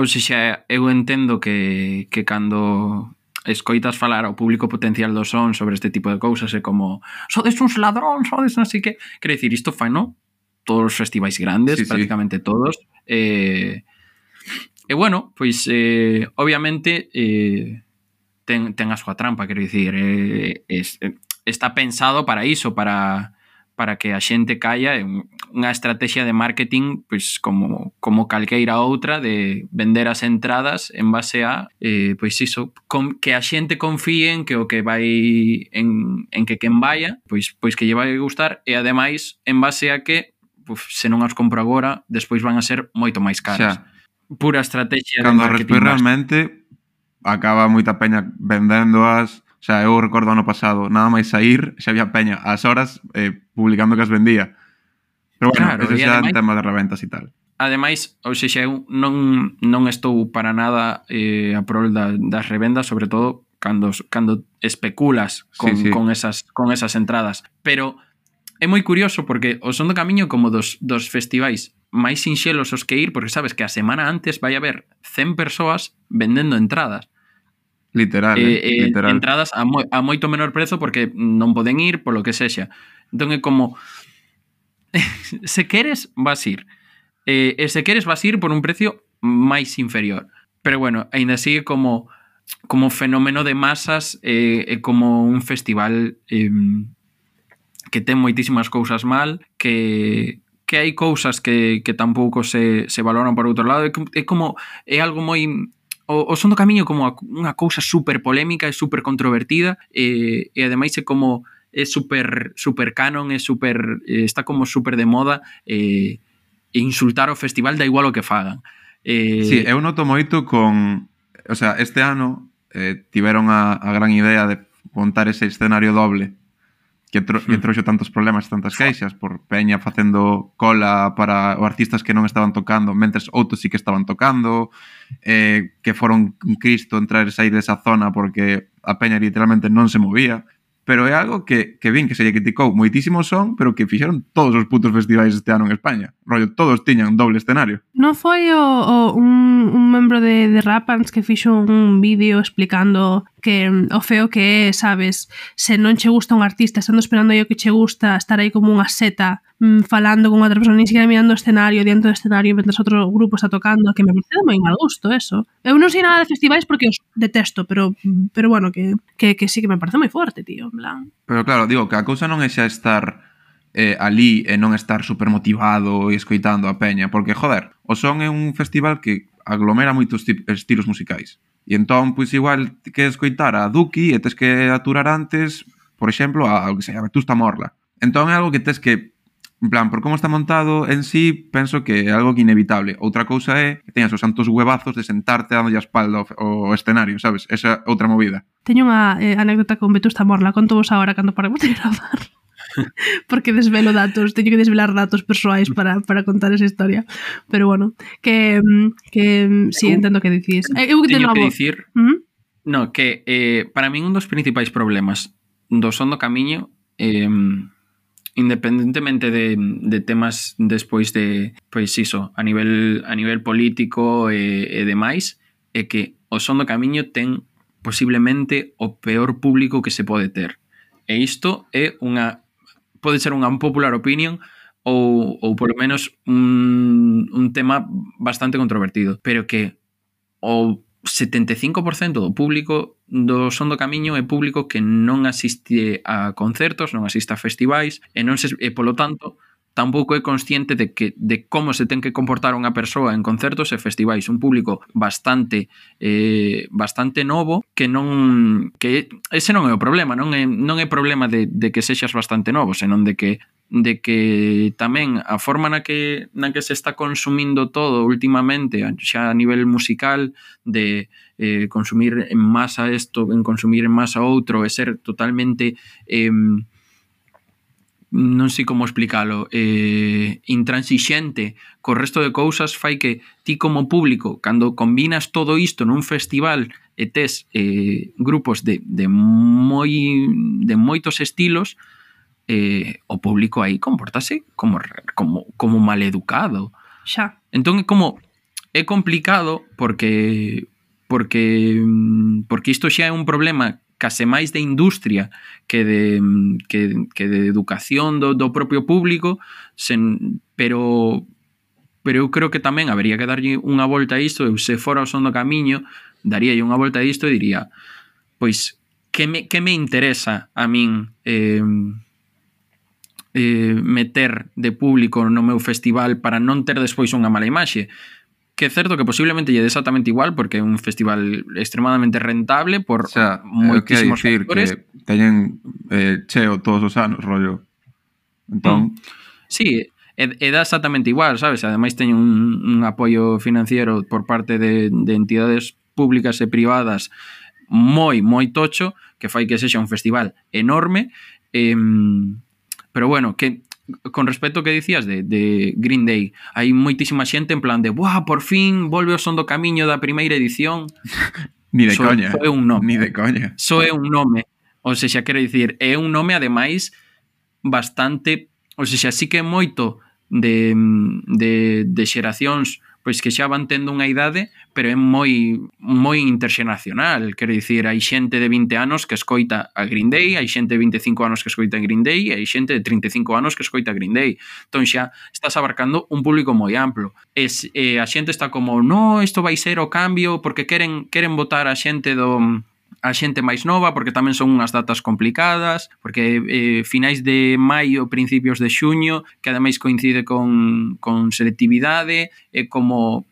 ou seja, eu entendo que, que cando escoitas falar ao público potencial do Son sobre este tipo de cousas é como sodes uns ladrón, sodes non sei que... Quero dicir, isto fai, non? Todos os festivais grandes, sí, prácticamente sí. Todos. E, e bueno, pois eh, obviamente eh, ten, ten a súa trampa, quero dicir, eh, es, está pensado para iso, para, para que a xente caia en unha estrategia de marketing pois como, como calqueira outra de vender as entradas en base a eh, pois iso, con, que a xente confíe en que o que vai en, en que quen vaya pois, pois que lle vai gustar e ademais en base a que Uf, se non as compro agora, despois van a ser moito máis caras. Xa. Pura estrategia de cando marketing. Cando realmente acaba moita peña vendéndoas. O sea, eu recordo ano pasado, nada máis sair, xa había peña ás horas eh, publicando que as vendía. Pero bueno, claro, ese xa é un tema de reventas e tal. Ademais, ou seja, eu non, non estou para nada eh, a prol da, das revendas, sobre todo cando, cando especulas con, sí, sí. con, esas, con esas entradas. Pero é moi curioso porque o Son do Camiño como dos, dos festivais máis sinxelos os que ir, porque sabes que a semana antes vai haber cen persoas vendendo entradas. Literal, eh, eh, literal. Entradas a, mo, a moito menor prezo porque non poden ir polo que sexa. Entón é como se queres vas ir eh, e se queres vas ir por un precio máis inferior. Pero bueno, aínda sigue como como fenómeno de masas e eh, como un festival eh, que ten moitísimas cousas mal, que, que hai cousas que, que tampouco se, se valoran por outro lado. É como, é algo moi... O, o Son do Camiño como unha cousa super polémica e super controvertida e, e ademais é como é super, super canon, é super, está como super de moda e, e insultar o festival da igual o que fagan. Eh... Sí, eu noto moito con... O sea, este ano eh, tiveron a, a gran idea de montar ese escenario doble que, tro, que trouxo tantos problemas e tantas queixas por peña facendo cola para os artistas que non estaban tocando, mentres outros sí que estaban tocando, eh, que foron un Cristo entrar e sair desa zona porque a peña literalmente non se movía. Pero é algo que, que vin que se lle criticou moitísimo son, pero que fixeron todos os putos festivais este ano en España. Rollo, todos tiñan doble escenario. Non foi o, o un, un membro de, de Rapans que fixo un vídeo explicando que o feo que é, sabes, se non che gusta un artista, estando esperando aí o que che gusta, estar aí como unha seta mmm, falando con outra persona, ni siquiera mirando o escenario, diante do escenario, mentre outro grupo está tocando, que me parece de moi mal gusto eso. Eu non sei nada de festivais porque os detesto, pero pero bueno, que, que, que sí que me parece moi forte, tío, en plan. Pero claro, digo que a cousa non é xa estar eh, ali e non estar super motivado e escoitando a peña, porque, joder, o son é un festival que aglomera moitos estilos musicais. E entón, pois igual, que escoitar a Duki e tes que aturar antes, por exemplo, a, a que se llama Vetusta Morla. Entón é algo que tes que, en plan, por como está montado en sí, penso que é algo que inevitable. Outra cousa é que teñas os santos huevazos de sentarte dando a espalda ao, ao escenario, sabes? Esa outra movida. Teño unha eh, anécdota con Vetusta Morla, conto vos agora cando paremos de gravar. Porque desvelo datos, teño que desvelar datos persoais para, para contar esa historia. Pero bueno, que, que sí, entendo que dicís. Eu teño novo... que dicir ¿Mm? no, que eh, para min un dos principais problemas do Son do Camiño, eh, independentemente de, de temas despois de, pois iso, a nivel, a nivel político e, e demais, é que o Son do Camiño ten posiblemente o peor público que se pode ter. E isto é unha pode ser unha unpopular opinion ou, ou polo menos un, un tema bastante controvertido, pero que o setenta e cinco por cento do público do Son do Camiño é público que non asiste a concertos, non asiste a festivais e, non se, e polo tanto tampouco é consciente de que de como se ten que comportar unha persoa en concertos e festivais, un público bastante eh, bastante novo que non que ese non é o problema, non é non é problema de, de que sexas bastante novo, senón de que de que tamén a forma na que na que se está consumindo todo últimamente, xa a nivel musical, de eh, consumir en masa isto, en consumir en masa outro, e ser totalmente eh, non sei como explicalo, eh, intransixente co resto de cousas, fai que ti como público, cando combinas todo isto nun festival e tes eh, grupos de, de, moi, de moitos estilos, eh, o público aí comportase como, como, como maleducado. Xa. Entón é como é complicado porque porque porque isto xa é un problema case máis de industria que de, que, que de educación do, do propio público, sen, pero pero eu creo que tamén habería que darlle unha volta a isto. Eu se fora o Son do Camiño daríalle unha volta a isto e diría, pois, que me, que me interesa a min eh, eh, meter de público no meu festival para non ter despois unha mala imaxe? Que é certo que posiblemente lle é exactamente igual porque é un festival extremadamente rentable por, o sea, moitísimos factores. Que teñen eh, cheo todos os anos, rollo. Entón... Mm. Sí, e, e dá exactamente igual, sabes? Ademais teñen un, un apoio financiero por parte de, de entidades públicas e privadas moi, moi tocho, que fai que sexa un festival enorme. Eh, pero bueno, que... con respecto ao que dicías de, de Green Day, hai moitísima xente en plan de buah, por fin volve o Son do Camiño da primeira edición. Ni de so, coña. So é un nome. Ni de coña. So é un nome. O sexa, quero dicir, é un nome ademais bastante, o sexa, sí que é moito de, de, de xeracións pois que xa van tendo unha idade, pero é moi moi interxeracional, quero dicir, hai xente de vinte anos que escoita a Green Day, hai xente de vinte e cinco anos que escoita a Green Day, e hai xente de trinta e cinco anos que escoita a Green Day. Entón xa estás abarcando un público moi amplo. Es, eh, a xente está como, no, isto vai ser o cambio, porque queren queren votar a xente do a xente máis nova, porque tamén son unhas datas complicadas, porque eh, finais de maio, principios de xuño, que ademais coincide con, con selectividade, e como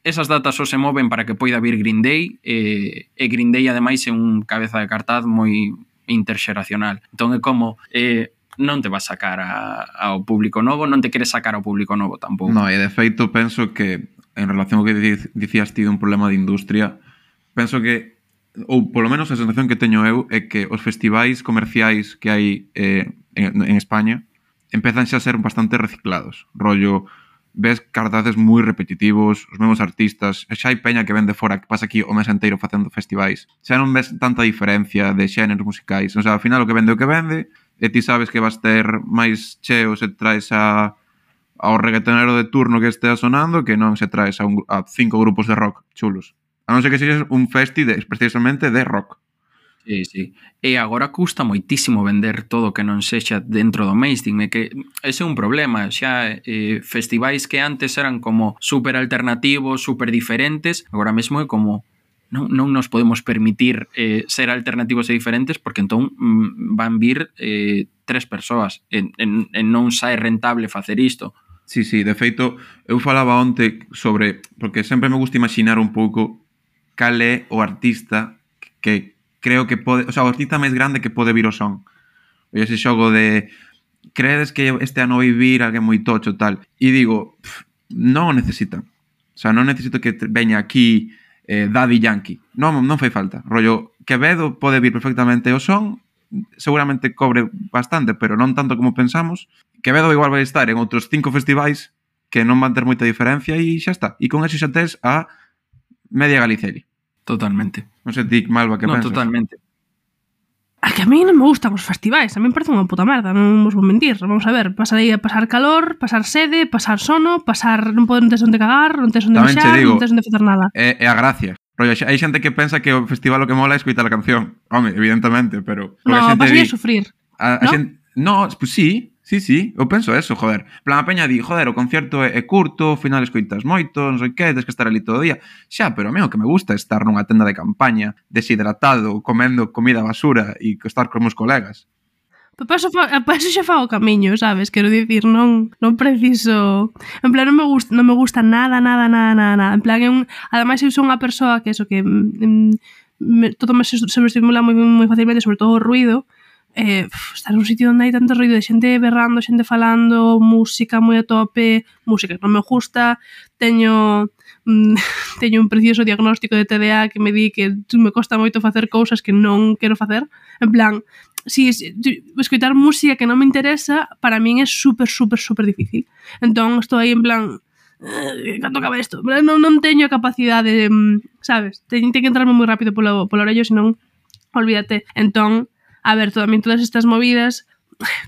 esas datas só se moven para que poida vir Green Day, e, e Green Day ademais é un cabeza de cartaz moi interxeracional. Entón é como... Eh, non te vas sacar a, ao público novo, non te queres sacar ao público novo tampouco. No, e de feito penso que en relación ao que dicías ti dun problema de industria, penso que ou polo menos a sensación que teño eu é que os festivais comerciais que hai eh, en, en España empezan xa a ser bastante reciclados. Rollo, ves cartaces moi repetitivos, os mesmos artistas, xa hai peña que ven de fora que pasa aquí o mes inteiro facendo festivais. Xa non ves tanta diferencia de xéneros musicais. O sea, ao final o que vende o que vende, e ti sabes que vas ter máis cheo se traes a ao reggaetonero de turno que estea sonando que non se traes a, un, a cinco grupos de rock chulos. A non ser que sexas un festi de, precisamente de rock. Sí, sí. E agora custa moitísimo vender todo que non sexa dentro do mainstream, e que ese é un problema. Xa eh, festivais que antes eran como super alternativos, super diferentes, agora mesmo é como non, non nos podemos permitir eh, ser alternativos e diferentes porque entón mm, van vir eh, tres persoas e, en, en non sae rentable facer isto. Sí, sí, de feito, eu falaba onte sobre, porque sempre me gusta imaginar un pouco cal é o artista que creo que pode, o sea, o artista máis grande que pode vir o son. E ese xogo de credes que este ano vai vir alguén moi tocho tal. E digo, pff, non o necesitan. O sea, non necesito que veña aquí eh, Daddy Yankee. Non, non fai falta. Rollo, Quevedo pode vir perfectamente o son, seguramente cobre bastante, pero non tanto como pensamos. Quevedo igual vai estar en outros cinco festivais que non van ter moita diferencia e xa está. E con eso xa tes a media Galiceli. Totalmente. Non sei ti, Malva, que no, pensas? Totalmente. A que a mí non me gustan os festivais, a mí me parece unha puta merda, non vos vou mentir. Vamos a ver, pasar aí a pasar calor, pasar sede, pasar sono, pasar non podes non tes onde cagar, non tes onde Tamén che mexar, digo, non tes onde facer nada. É, é a gracia. Rollo, hai xente que pensa que o festival o que mola é escoitar a canción. Home, evidentemente, pero... No, a vas di, a sufrir. A, a ¿no? xente, no, pues sí, sí, sí, eu penso eso, joder. Plan, a peña di, joder, o concierto é, é curto, ao final escoitas moito, non sei que, tens que estar ali todo o día. Xa, pero a mí o que me gusta é estar nunha tenda de campaña, deshidratado, comendo comida basura e estar con meus colegas. Para eso, pa eso xa fago o camiño, sabes? Quero dicir, non non preciso... En plan, non me gusta, non me gusta nada, nada, nada, nada, nada. En plan, é un... Ademais, eu son unha persoa que eso, que mm, me, todo me sobreestimula moi, moi facilmente, sobre todo o ruido. Eh, estar nun sitio onde hai tanto ruido de xente berrando, xente falando, música moi a tope, música que non me gusta, teño mm, teño un precioso diagnóstico de T D A que me di que me costa moito facer cousas que non quero facer. En plan, si, si escoitar música que non me interesa, para min é super, super, super difícil. Entón, estou aí en plan, eh, canto acaba isto? Non, non teño a capacidade, sabes? Teño que entrarme moi rápido polo, polo orello, senón, olvídate. Entón, a ver, tamén todas estas movidas,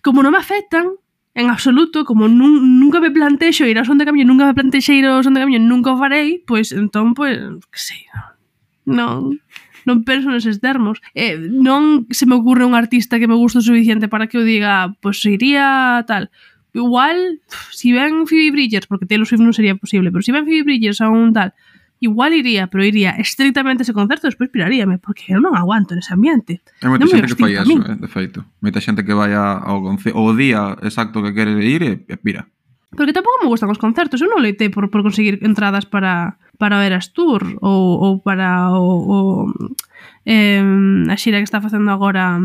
como non me afectan en absoluto, como nun, nunca me plantexo ir ao son de camiño, nunca me plantexei ir ao son de camiño, nunca o farei, pois entón, pois, que sei, non, non penso neses termos. Eh, non se me ocurre un artista que me guste o suficiente para que eu diga, pois iría tal. Igual, si ven Phoebe Bridgers, porque Taylor Swift non sería posible, pero si ven Phoebe Bridgers a un tal, igual iría, pero iría estrictamente ese concerto, despois piraríame, porque eu non aguanto nese ambiente. Hai moita non xente que fai eso, mí. eh, de feito. Moita xente que vai ao, ao día exacto que quere ir e, e pira. Porque tampouco me gustan os concertos, eu non leitei por, por conseguir entradas para, para o Eras Tour ou, ou para o, o eh, a xira que está facendo agora,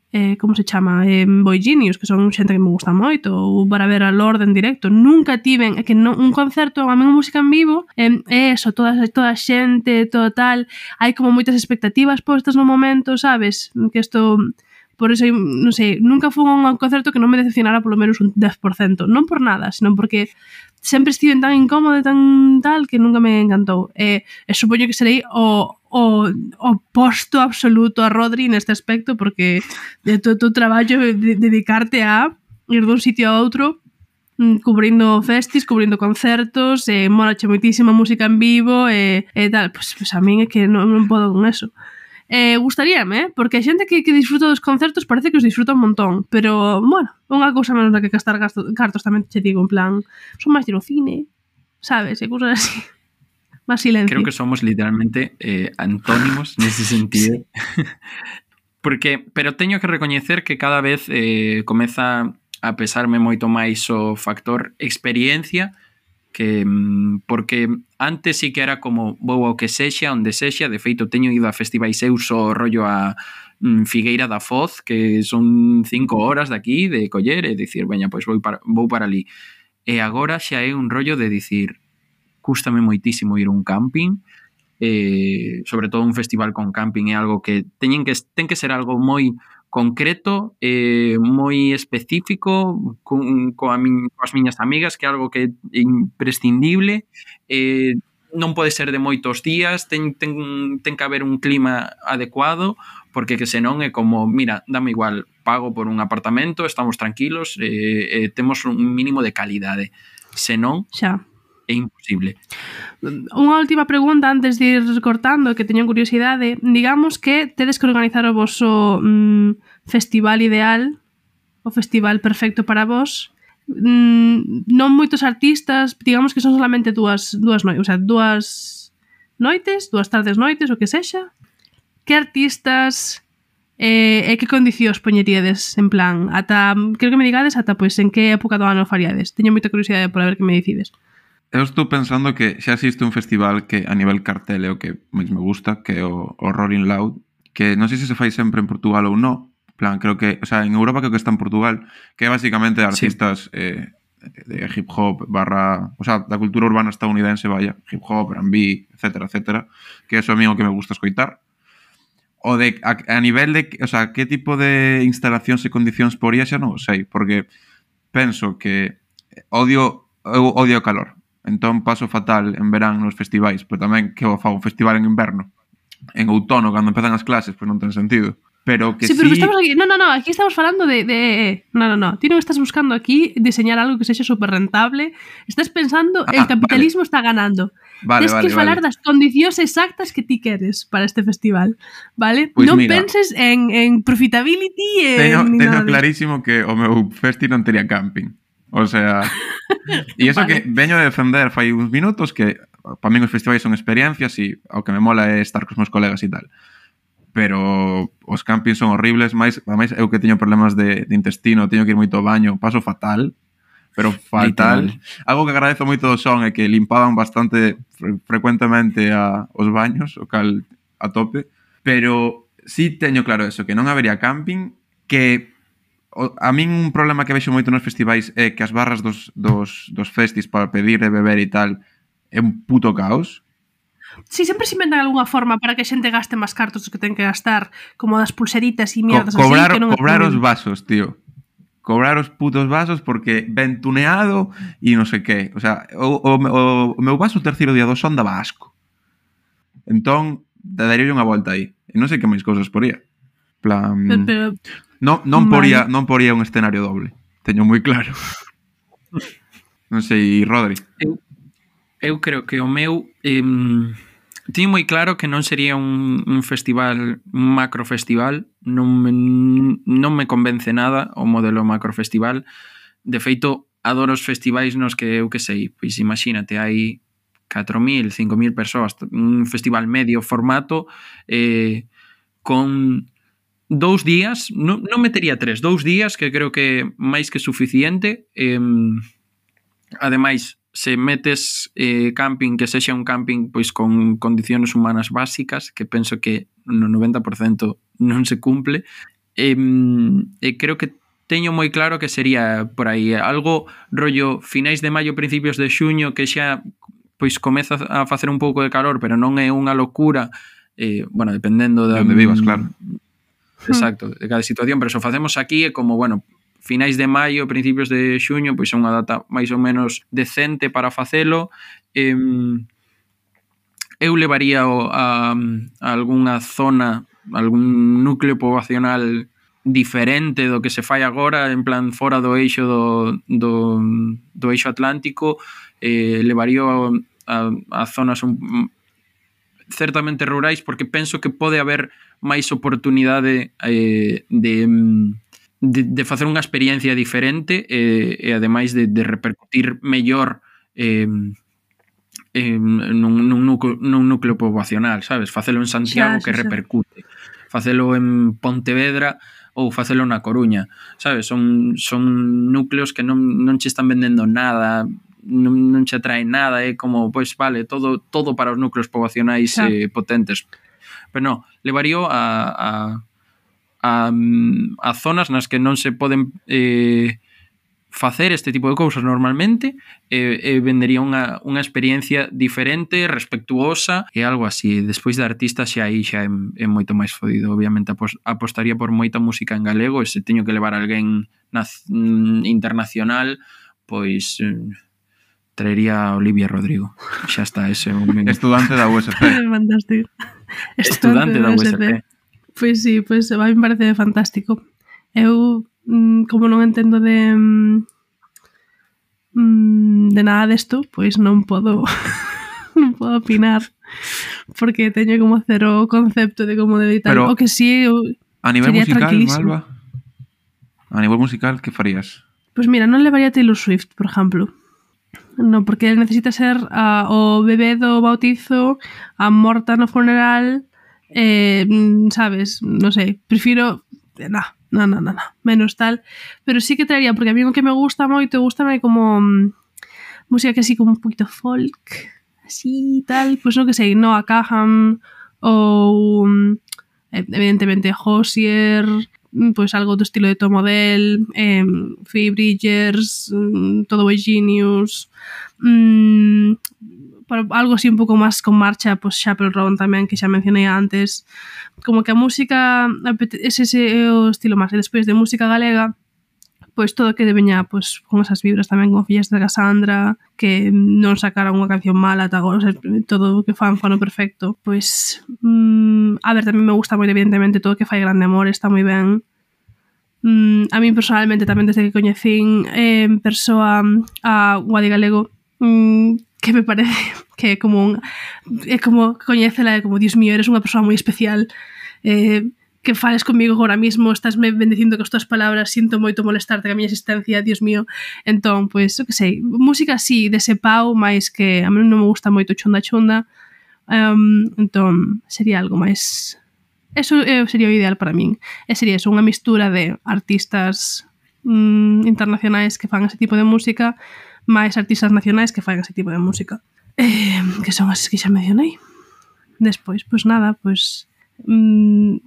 eh, como se chama, eh, Boy Genius, que son xente que me gusta moito, ou para ver a Lorde en directo. Nunca tiven, é que non, un concerto, a mí música en vivo, é eh, eso, toda, toda a xente, todo tal, hai como moitas expectativas postas no momento, sabes? Que isto... Por iso, non sei, nunca fui a un concerto que non me decepcionara polo menos un dez por cento. Non por nada, senón porque sempre estive tan incómodo e tan tal que nunca me encantou. E, e supoño que serei o, o, o posto absoluto a Rodri neste aspecto, porque de todo o teu traballo de, dedicarte a ir dun sitio a outro cubrindo festis, cubrindo concertos, e molache moitísima música en vivo e, e tal. Pois, pues a min é que non, non podo con eso. Eh, gustaríame, eh? Porque a xente que, que disfruta dos concertos parece que os disfruta un montón, pero, bueno, unha cousa menos da que gastar gasto, cartos tamén te digo, en plan, son máis de ir ao cine, sabes, e cousas así, máis silencio. Creo que somos literalmente eh, antónimos nese sentido. Porque, pero teño que recoñecer que cada vez eh, comeza a pesarme moito máis o factor experiencia, que porque antes sí que era como vou ao que sexa, onde sexa, de feito teño ido a festivais eu só rollo a mm, Figueira da Foz, que son cinco horas de aquí de coller e dicir, veña, pois vou para, vou para ali. E agora xa é un rollo de dicir, cústame moitísimo ir a un camping, eh, sobre todo un festival con camping é algo que teñen que ten que ser algo moi concreto, eh, moi específico, con, coa min, coas miñas amigas, que é algo que é imprescindible, eh, non pode ser de moitos días, ten, ten, ten que haber un clima adecuado, porque que senón é como, mira, dame igual, pago por un apartamento, estamos tranquilos, eh, eh, temos un mínimo de calidade. Senón, Xa. é imposible. Unha última pregunta antes de ir cortando, que teño curiosidade. Digamos que tedes que organizar o vosso mm, festival ideal, o festival perfecto para vos. Mm, non moitos artistas, digamos que son solamente dúas, dúas noites, o sea, dúas noites, dúas tardes noites, o que sexa. Que artistas eh, e que condicións poñeríades, en plan, ata, creo que me digades ata, pois, en que época do ano faríades. Teño moita curiosidade por ver que me decides. Eu estou pensando que xa existe un festival que a nivel cartel é o que máis me gusta, que é o, o Rolling Loud, que non sei se se fai sempre en Portugal ou non. Plan, creo que, o sea, en Europa creo que está en Portugal, que é basicamente artistas sí. eh, de hip hop barra, o sea, da cultura urbana estadounidense, vaya, hip hop, R and B, etcétera, etcétera, que é eso a mí o que me gusta escoitar. O de, a, a nivel de, o sea, que tipo de instalacións e condicións poría xa non o sei, porque penso que odio, eu odio o calor. Entón paso fatal en verán nos festivais, pero tamén que o fago un festival en inverno, en outono, cando empezan as clases, pois non ten sentido. Pero que sí, pero sí... estamos aquí, no, no, no, aquí estamos falando de, de... No, no, no, ti non estás buscando aquí diseñar algo que sexa super rentable, estás pensando, ah, el capitalismo vale. Está ganando. Vale, Tens vale, que falar vale. das condicións exactas que ti queres para este festival, vale? Pues non mira, penses en, en profitability, teño, en... teño clarísimo que o meu festi non tería camping. O sea, e iso vale. Que veño de defender fai uns minutos que para min os festivais son experiencias e o que me mola é estar cos meus colegas e tal. Pero os campings son horribles, máis, máis eu que teño problemas de, de intestino, teño que ir moito ao baño, paso fatal, pero fatal. Literal. Algo que agradezo moito do son é que limpaban bastante fre frecuentemente a, os baños, o cal a tope, pero sí teño claro eso, que non habería camping, que a min un problema que vexo moito nos festivais é que as barras dos, dos, dos festis para pedir e beber e tal é un puto caos. Sí, sempre se inventan algunha forma para que a xente gaste máis cartos que ten que gastar, como das pulseritas e mierdas Co cobrar, así, que non cobrar é os vasos, tío. Cobrar os putos vasos porque ven tuneado e non sei que. O sea, o, o, o, o meu vaso terceiro día do son daba asco. Entón, daría unha volta aí. E non sei que máis cousas poría. Plan... Pero, pero... Non, non, poría, non poría un escenario doble. Teño moi claro. Non sei, Rodri. Eu, eu creo que o meu... Eh, teño moi claro que non sería un, un festival, un macrofestival. Non me, non me convence nada o modelo macrofestival. De feito, adoro os festivais nos que eu que sei. Pois imagínate, hai catro mil, cinco mil persoas. Un festival medio formato eh, con... dous días, non, non metería tres, dous días que creo que máis que suficiente. Eh, ademais, se metes eh, camping, que sexa un camping pois con condicións humanas básicas, que penso que no noventa por cento non se cumple, eh, eh, creo que teño moi claro que sería por aí algo rollo finais de maio, principios de xuño, que xa pois comeza a facer un pouco de calor, pero non é unha locura, eh, bueno, dependendo de onde vivas, claro. Exacto, de cada situación, pero se o facemos aquí é como, bueno, finais de maio, principios de xuño, pois é unha data máis ou menos decente para facelo. Eh, eu levaría o, a, a algunha zona, algún núcleo poboacional diferente do que se fai agora, en plan fora do eixo do, do, do eixo atlántico. Eh, levaría a, a zonas un, certamente rurais, porque penso que pode haber máis oportunidade eh, de, de, de facer unha experiencia diferente eh, e ademais de, de repercutir mellor eh, eh, nun, nun, núcleo, nun núcleo poboacional, sabes? Facelo en Santiago, xa, que xa, repercute. Facelo en Pontevedra ou facelo na Coruña, sabes? Son, son núcleos que non, non che están vendendo nada, non, non che atrae nada, é como, pois vale, todo, todo para os núcleos poboacionais eh, potentes. Pero non, levaría a, a, a, a zonas nas que non se poden eh, facer este tipo de cousas normalmente e, e vendería unha, unha experiencia diferente, respectuosa e algo así. Despois de artista xa aí xa é, é moito máis fodido. Obviamente apos, apostaría por moita música en galego e se teño que levar alguén naz, internacional, pois traería a Olivia Rodrigo. Xa está, ese é un... Estudante da U S P. Fantástico. Estudante da U S P. Pois sí, pois a mí me parece fantástico. Eu, como non entendo de de nada desto, pois non podo non podo opinar porque teño como cero concepto de como debe tal. O que sí, eu a nivel musical, Malva, a nivel musical, que farías? Pois mira, non levaría a Taylor Swift, por exemplo. Non, porque necesita ser a, o bebé do bautizo, a morta no funeral, eh, sabes, non sei, prefiro nah, no, no, no, no, menos tal, pero sí que traería, porque a mí o que me gusta moito, gusta como um, música que así como un poquito folk, así tal, pois pues non que sei, Noah Kahan ou um, evidentemente Hozier, pois pues algo do estilo de Tom Odell, eh, Phoebe Bridgers, um, Todo Boy Genius, um, algo así un pouco máis con marcha, pois pues Chappell Roan tamén, que xa mencionei antes. Como que a música ese é o estilo máis. E despois de música galega, pois pues todo que veña pois, pues, con esas vibras tamén, con Fillas de Cassandra, que non sacaran unha canción mala ata agora, o sea, todo o que fan fan o perfecto. Pois, mmm, a ver, tamén me gusta moi evidentemente todo o que fai Grande Amor, está moi ben. Mm, a mí personalmente tamén desde que coñecín eh, en persoa a Guadi Galego, mm, que me parece que é como un, é como coñécela, é como, Dios mío, eres unha persoa moi especial, eh, que fales comigo agora mismo, estás me bendicindo con as tuas palabras, sinto moito molestarte con a miña existencia, Dios mío. Entón, pois, eu que sei, música así, dese pau, máis que a mí non me gusta moito chunda chunda, um, entón, sería algo máis... Eso eh, sería o ideal para min. E sería eso, unha mistura de artistas mm, internacionais que fan ese tipo de música, máis artistas nacionais que fan ese tipo de música. Eh, que son as que xa mencionei. Despois, pois nada, pois... Mm,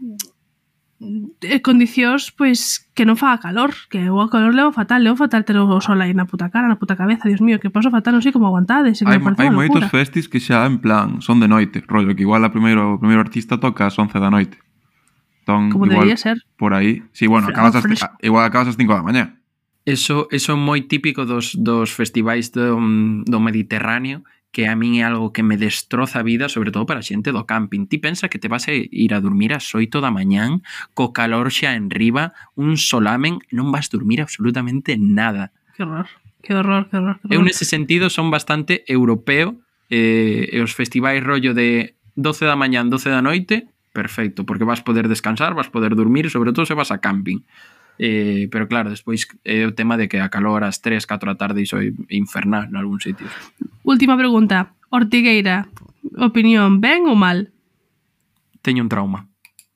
eh, condicións, pois, que non faga calor, que o calor levo fatal, levo fatal ter o sol aí na puta cara, na puta cabeza, Dios mío, que paso fatal, non sei como aguantades. Hai, hai moitos festis que xa en plan son de noite, rollo, que igual a primeiro, o primeiro artista toca ás once da noite. Entón, como igual, debería ser. Por aí, sí, bueno, acabas as, igual acabas ás cinco da mañá. Eso, eso é moi típico dos, dos festivais do, do Mediterráneo, que a min é algo que me destroza a vida, sobre todo para a xente do camping. Ti pensa que te vas a ir a dormir ás oito da mañán, co calor xa enriba, un solamen, non vas dormir absolutamente nada. Que horror, que horror, que horror. Que horror. Eu nese sentido son bastante europeo, eh, e os festivais rollo de doce da mañán, doce da noite, perfecto, porque vas poder descansar, vas poder dormir, sobre todo se vas a camping. Eh, pero claro, despois é eh, o tema de que a calor ás tres, catro da tarde iso é infernal en algún sitio. Última pregunta, Ortigueira, opinión, ben ou mal? Teño un trauma.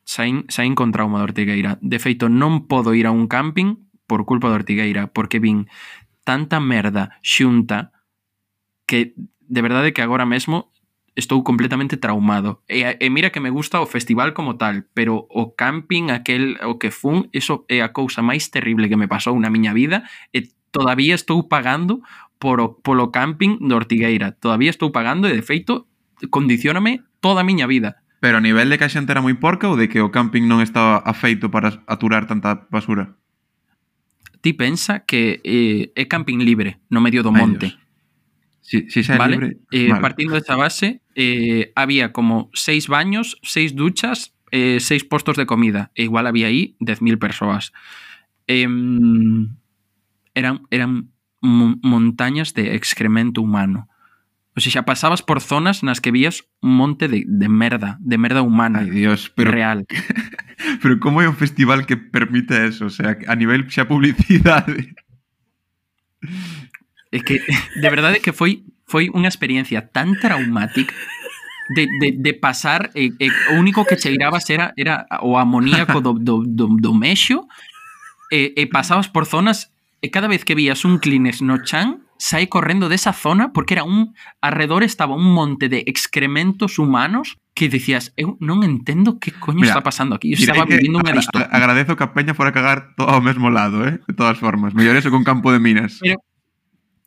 Saín, saín con trauma de Ortigueira. De feito, non podo ir a un camping por culpa de Ortigueira, porque vin tanta merda xunta que de verdade que agora mesmo estou completamente traumado. E, e mira que me gusta o festival como tal, pero o camping, aquel o que fun, eso é a cousa máis terrible que me pasou na miña vida e todavía estou pagando por o, polo camping de Ortigueira. Todavía estou pagando e, de feito, condicióname toda a miña vida. Pero a nivel de que a xente era moi porca ou de que o camping non estaba afeito para aturar tanta basura? Ti pensa que eh, é camping libre no medio do monte. Si, si xa é vale? libre... Eh, vale. Partindo desa base, eh, había como seis baños, seis duchas, eh, seis postos de comida. E igual había aí dez mil persoas. Eh, eran eran montañas de excremento humano. O sea, xa pasabas por zonas nas que vías un monte de, de merda, de merda humana. Ay, Dios, pero... real. Pero como é un festival que permite eso? O sea, a nivel xa publicidade... É que, de verdade que foi foi unha experiencia tan traumática de, de, de pasar, e, e, o único que cheirabas era, era o amoníaco do, do, do, do mexo, e, e pasabas por zonas, e cada vez que vías un Kleenex no chan, sai correndo desa zona, porque era un, alrededor estaba un monte de excrementos humanos, que decías, eu non entendo que coño Mira, está pasando aquí. Eu direi estaba que vivindo unha agra- distopía. Agradezo que a peña fora a cagar todo ao mesmo lado, eh? De todas formas. Mellor eso con campo de minas. Pero,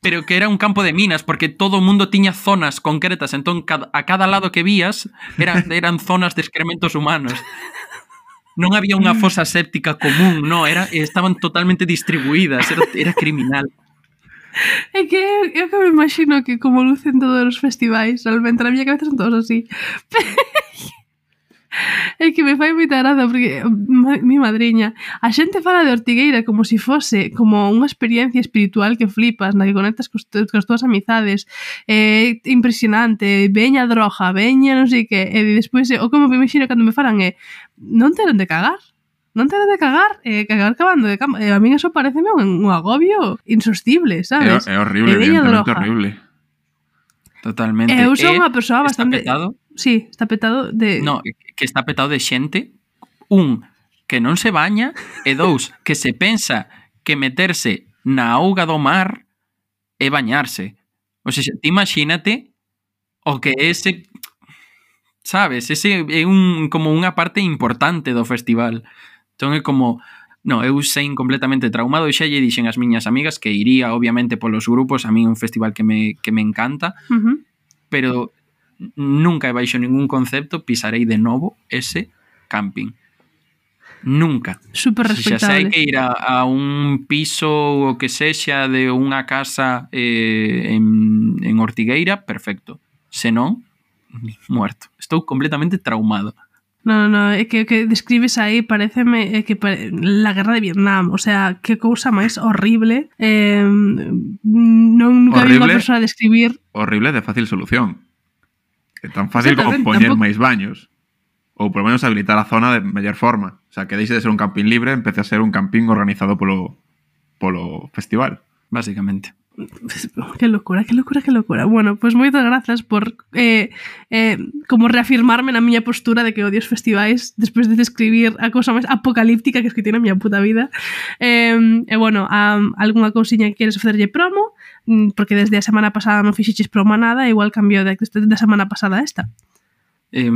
pero que era un campo de minas, porque todo o mundo tiña zonas concretas, entón cada, a cada lado que vías eran, eran zonas de excrementos humanos. Non había unha fosa séptica común, no, era, estaban totalmente distribuídas, era, era criminal. É que eu que me imagino que como lucen todos os festivais, realmente na miña cabeza son todos así. É que me fai moita graza porque ma, mi madriña, a xente fala de Ortigueira como se si fose como unha experiencia espiritual que flipas, na que conectas cos, cos túas amizades, é eh, impresionante, veña droga, veña non sei que, e despois o como me imagino cando me falan é non teron de cagar. Non te de cagar, eh, cagar cavando de cama. Eh, a mí eso pareceme un, un agobio insostible, sabes? É, é horrible, E veña evidentemente droga. horrible. Totalmente. Eu son E unha persoa está bastante... petado. Sí, está petado de... No, que está petado de xente, un, que non se baña, e dous, que se pensa que meterse na auga do mar é bañarse. O sea, ti imagínate o que ese, sabes, ese é un como unha parte importante do festival. Entón é como, no, eu sei completamente traumado e xa lle dixen as miñas amigas que iría obviamente polos grupos, a mí é un festival que me, que me encanta, Uh-huh. pero nunca baixo ningún concepto pisarei de novo ese camping. Nunca. Super Se xa sei respetable. que ir a, a un piso o que sexa de unha casa eh, en, en Ortigueira, perfecto. Se non, ni muerto. Estou completamente traumado. No, no, no, é que o que describes aí pareceme é que pare... la guerra de Vietnam, o sea, que cousa máis horrible. Eh, non nunca vi unha Horrible. persoa describir. Horrible de fácil solución. É tan fácil como Exactamente, poñer tampouco- máis baños. Ou por lo menos habilitar a zona de mellor forma. O sea, que deixe de ser un camping libre, empece a ser un camping organizado polo, polo festival. Básicamente. Que locura, que locura, que locura. Bueno, pois pues moitas grazas por eh, eh, como reafirmarme na miña postura de que odio os festivais despois de describir a cousa máis apocalíptica que escritei na miña puta vida. Eh, e bueno, a, algunha cousiña que queres facerlle promo, mm, porque desde a semana pasada non fixiches promo a nada, igual cambiou de, da semana pasada a esta. Eh,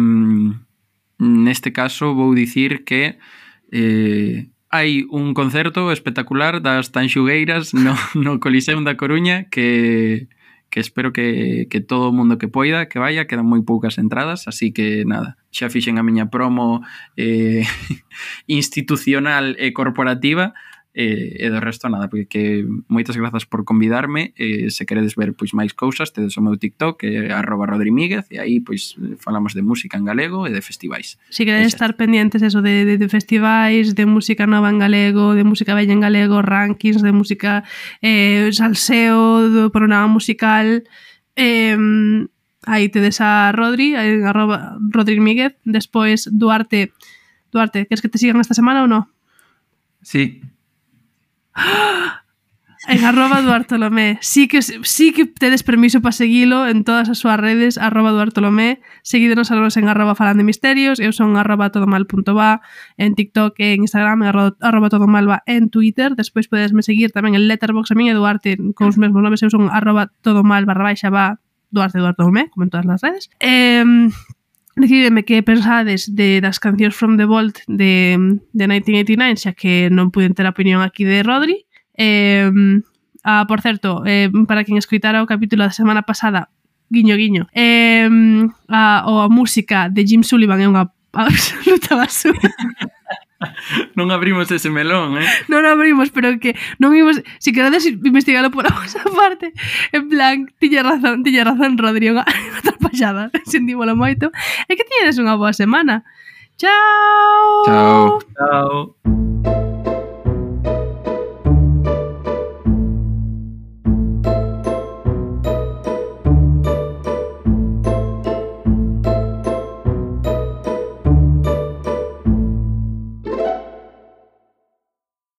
neste caso vou dicir que eh, hai un concerto espectacular das Tanxugueiras no, no Coliseum da Coruña que, que espero que, que todo o mundo que poida que vaya, quedan moi poucas entradas, así que nada, xa fixen a miña promo eh, institucional e corporativa. E, e do resto nada, porque moitas grazas por convidarme, e se queredes ver pois máis cousas tedes o meu TikTok que é arroba rodrimíguez e aí pois falamos de música en galego e de festivais. Si queredes Exacto. estar pendientes eso de, de, de festivais, de música nova en galego, de música bella en galego, rankings de música eh, salseo, do programa musical, eh, aí tedes a Rodri en arroba rodrimíguez, despois Duarte Duarte, queres que te sigan esta semana ou non? Sí. En arroba Duartolomé. Sí que, sí que tedes permiso para seguilo en todas as súas redes, arroba Duartolomé. Seguídenos a nos en arroba falando de misterios. Eu son arroba todomal.va en TikTok e en Instagram, arroba, arroba todomalva en Twitter. Despois podesme seguir tamén en Letterboxd, a min e Duarte con os mesmos nomes. Eu son arroba todomal barra baixa va Duarte Duartolomé, como en todas as redes. Eh, Decidideme que pensades de das cancións From the Vault de, de nineteen eighty-nine, xa que non puiden ter a opinión aquí de Rodri. Eh, ah, por certo, eh, para quen escoitara o capítulo da semana pasada, guiño guiño, eh, a, a música de Jim Sullivan é unha absoluta basura. Non abrimos ese melón, eh? Non o abrimos, pero que non imos, si queredes investigalo por a vosa parte, en plan, tiña razón, tiña razón Rodri, unha atrapallada, sentímolo moito, e que tiñedes unha boa semana. Chao. Chao. Chao.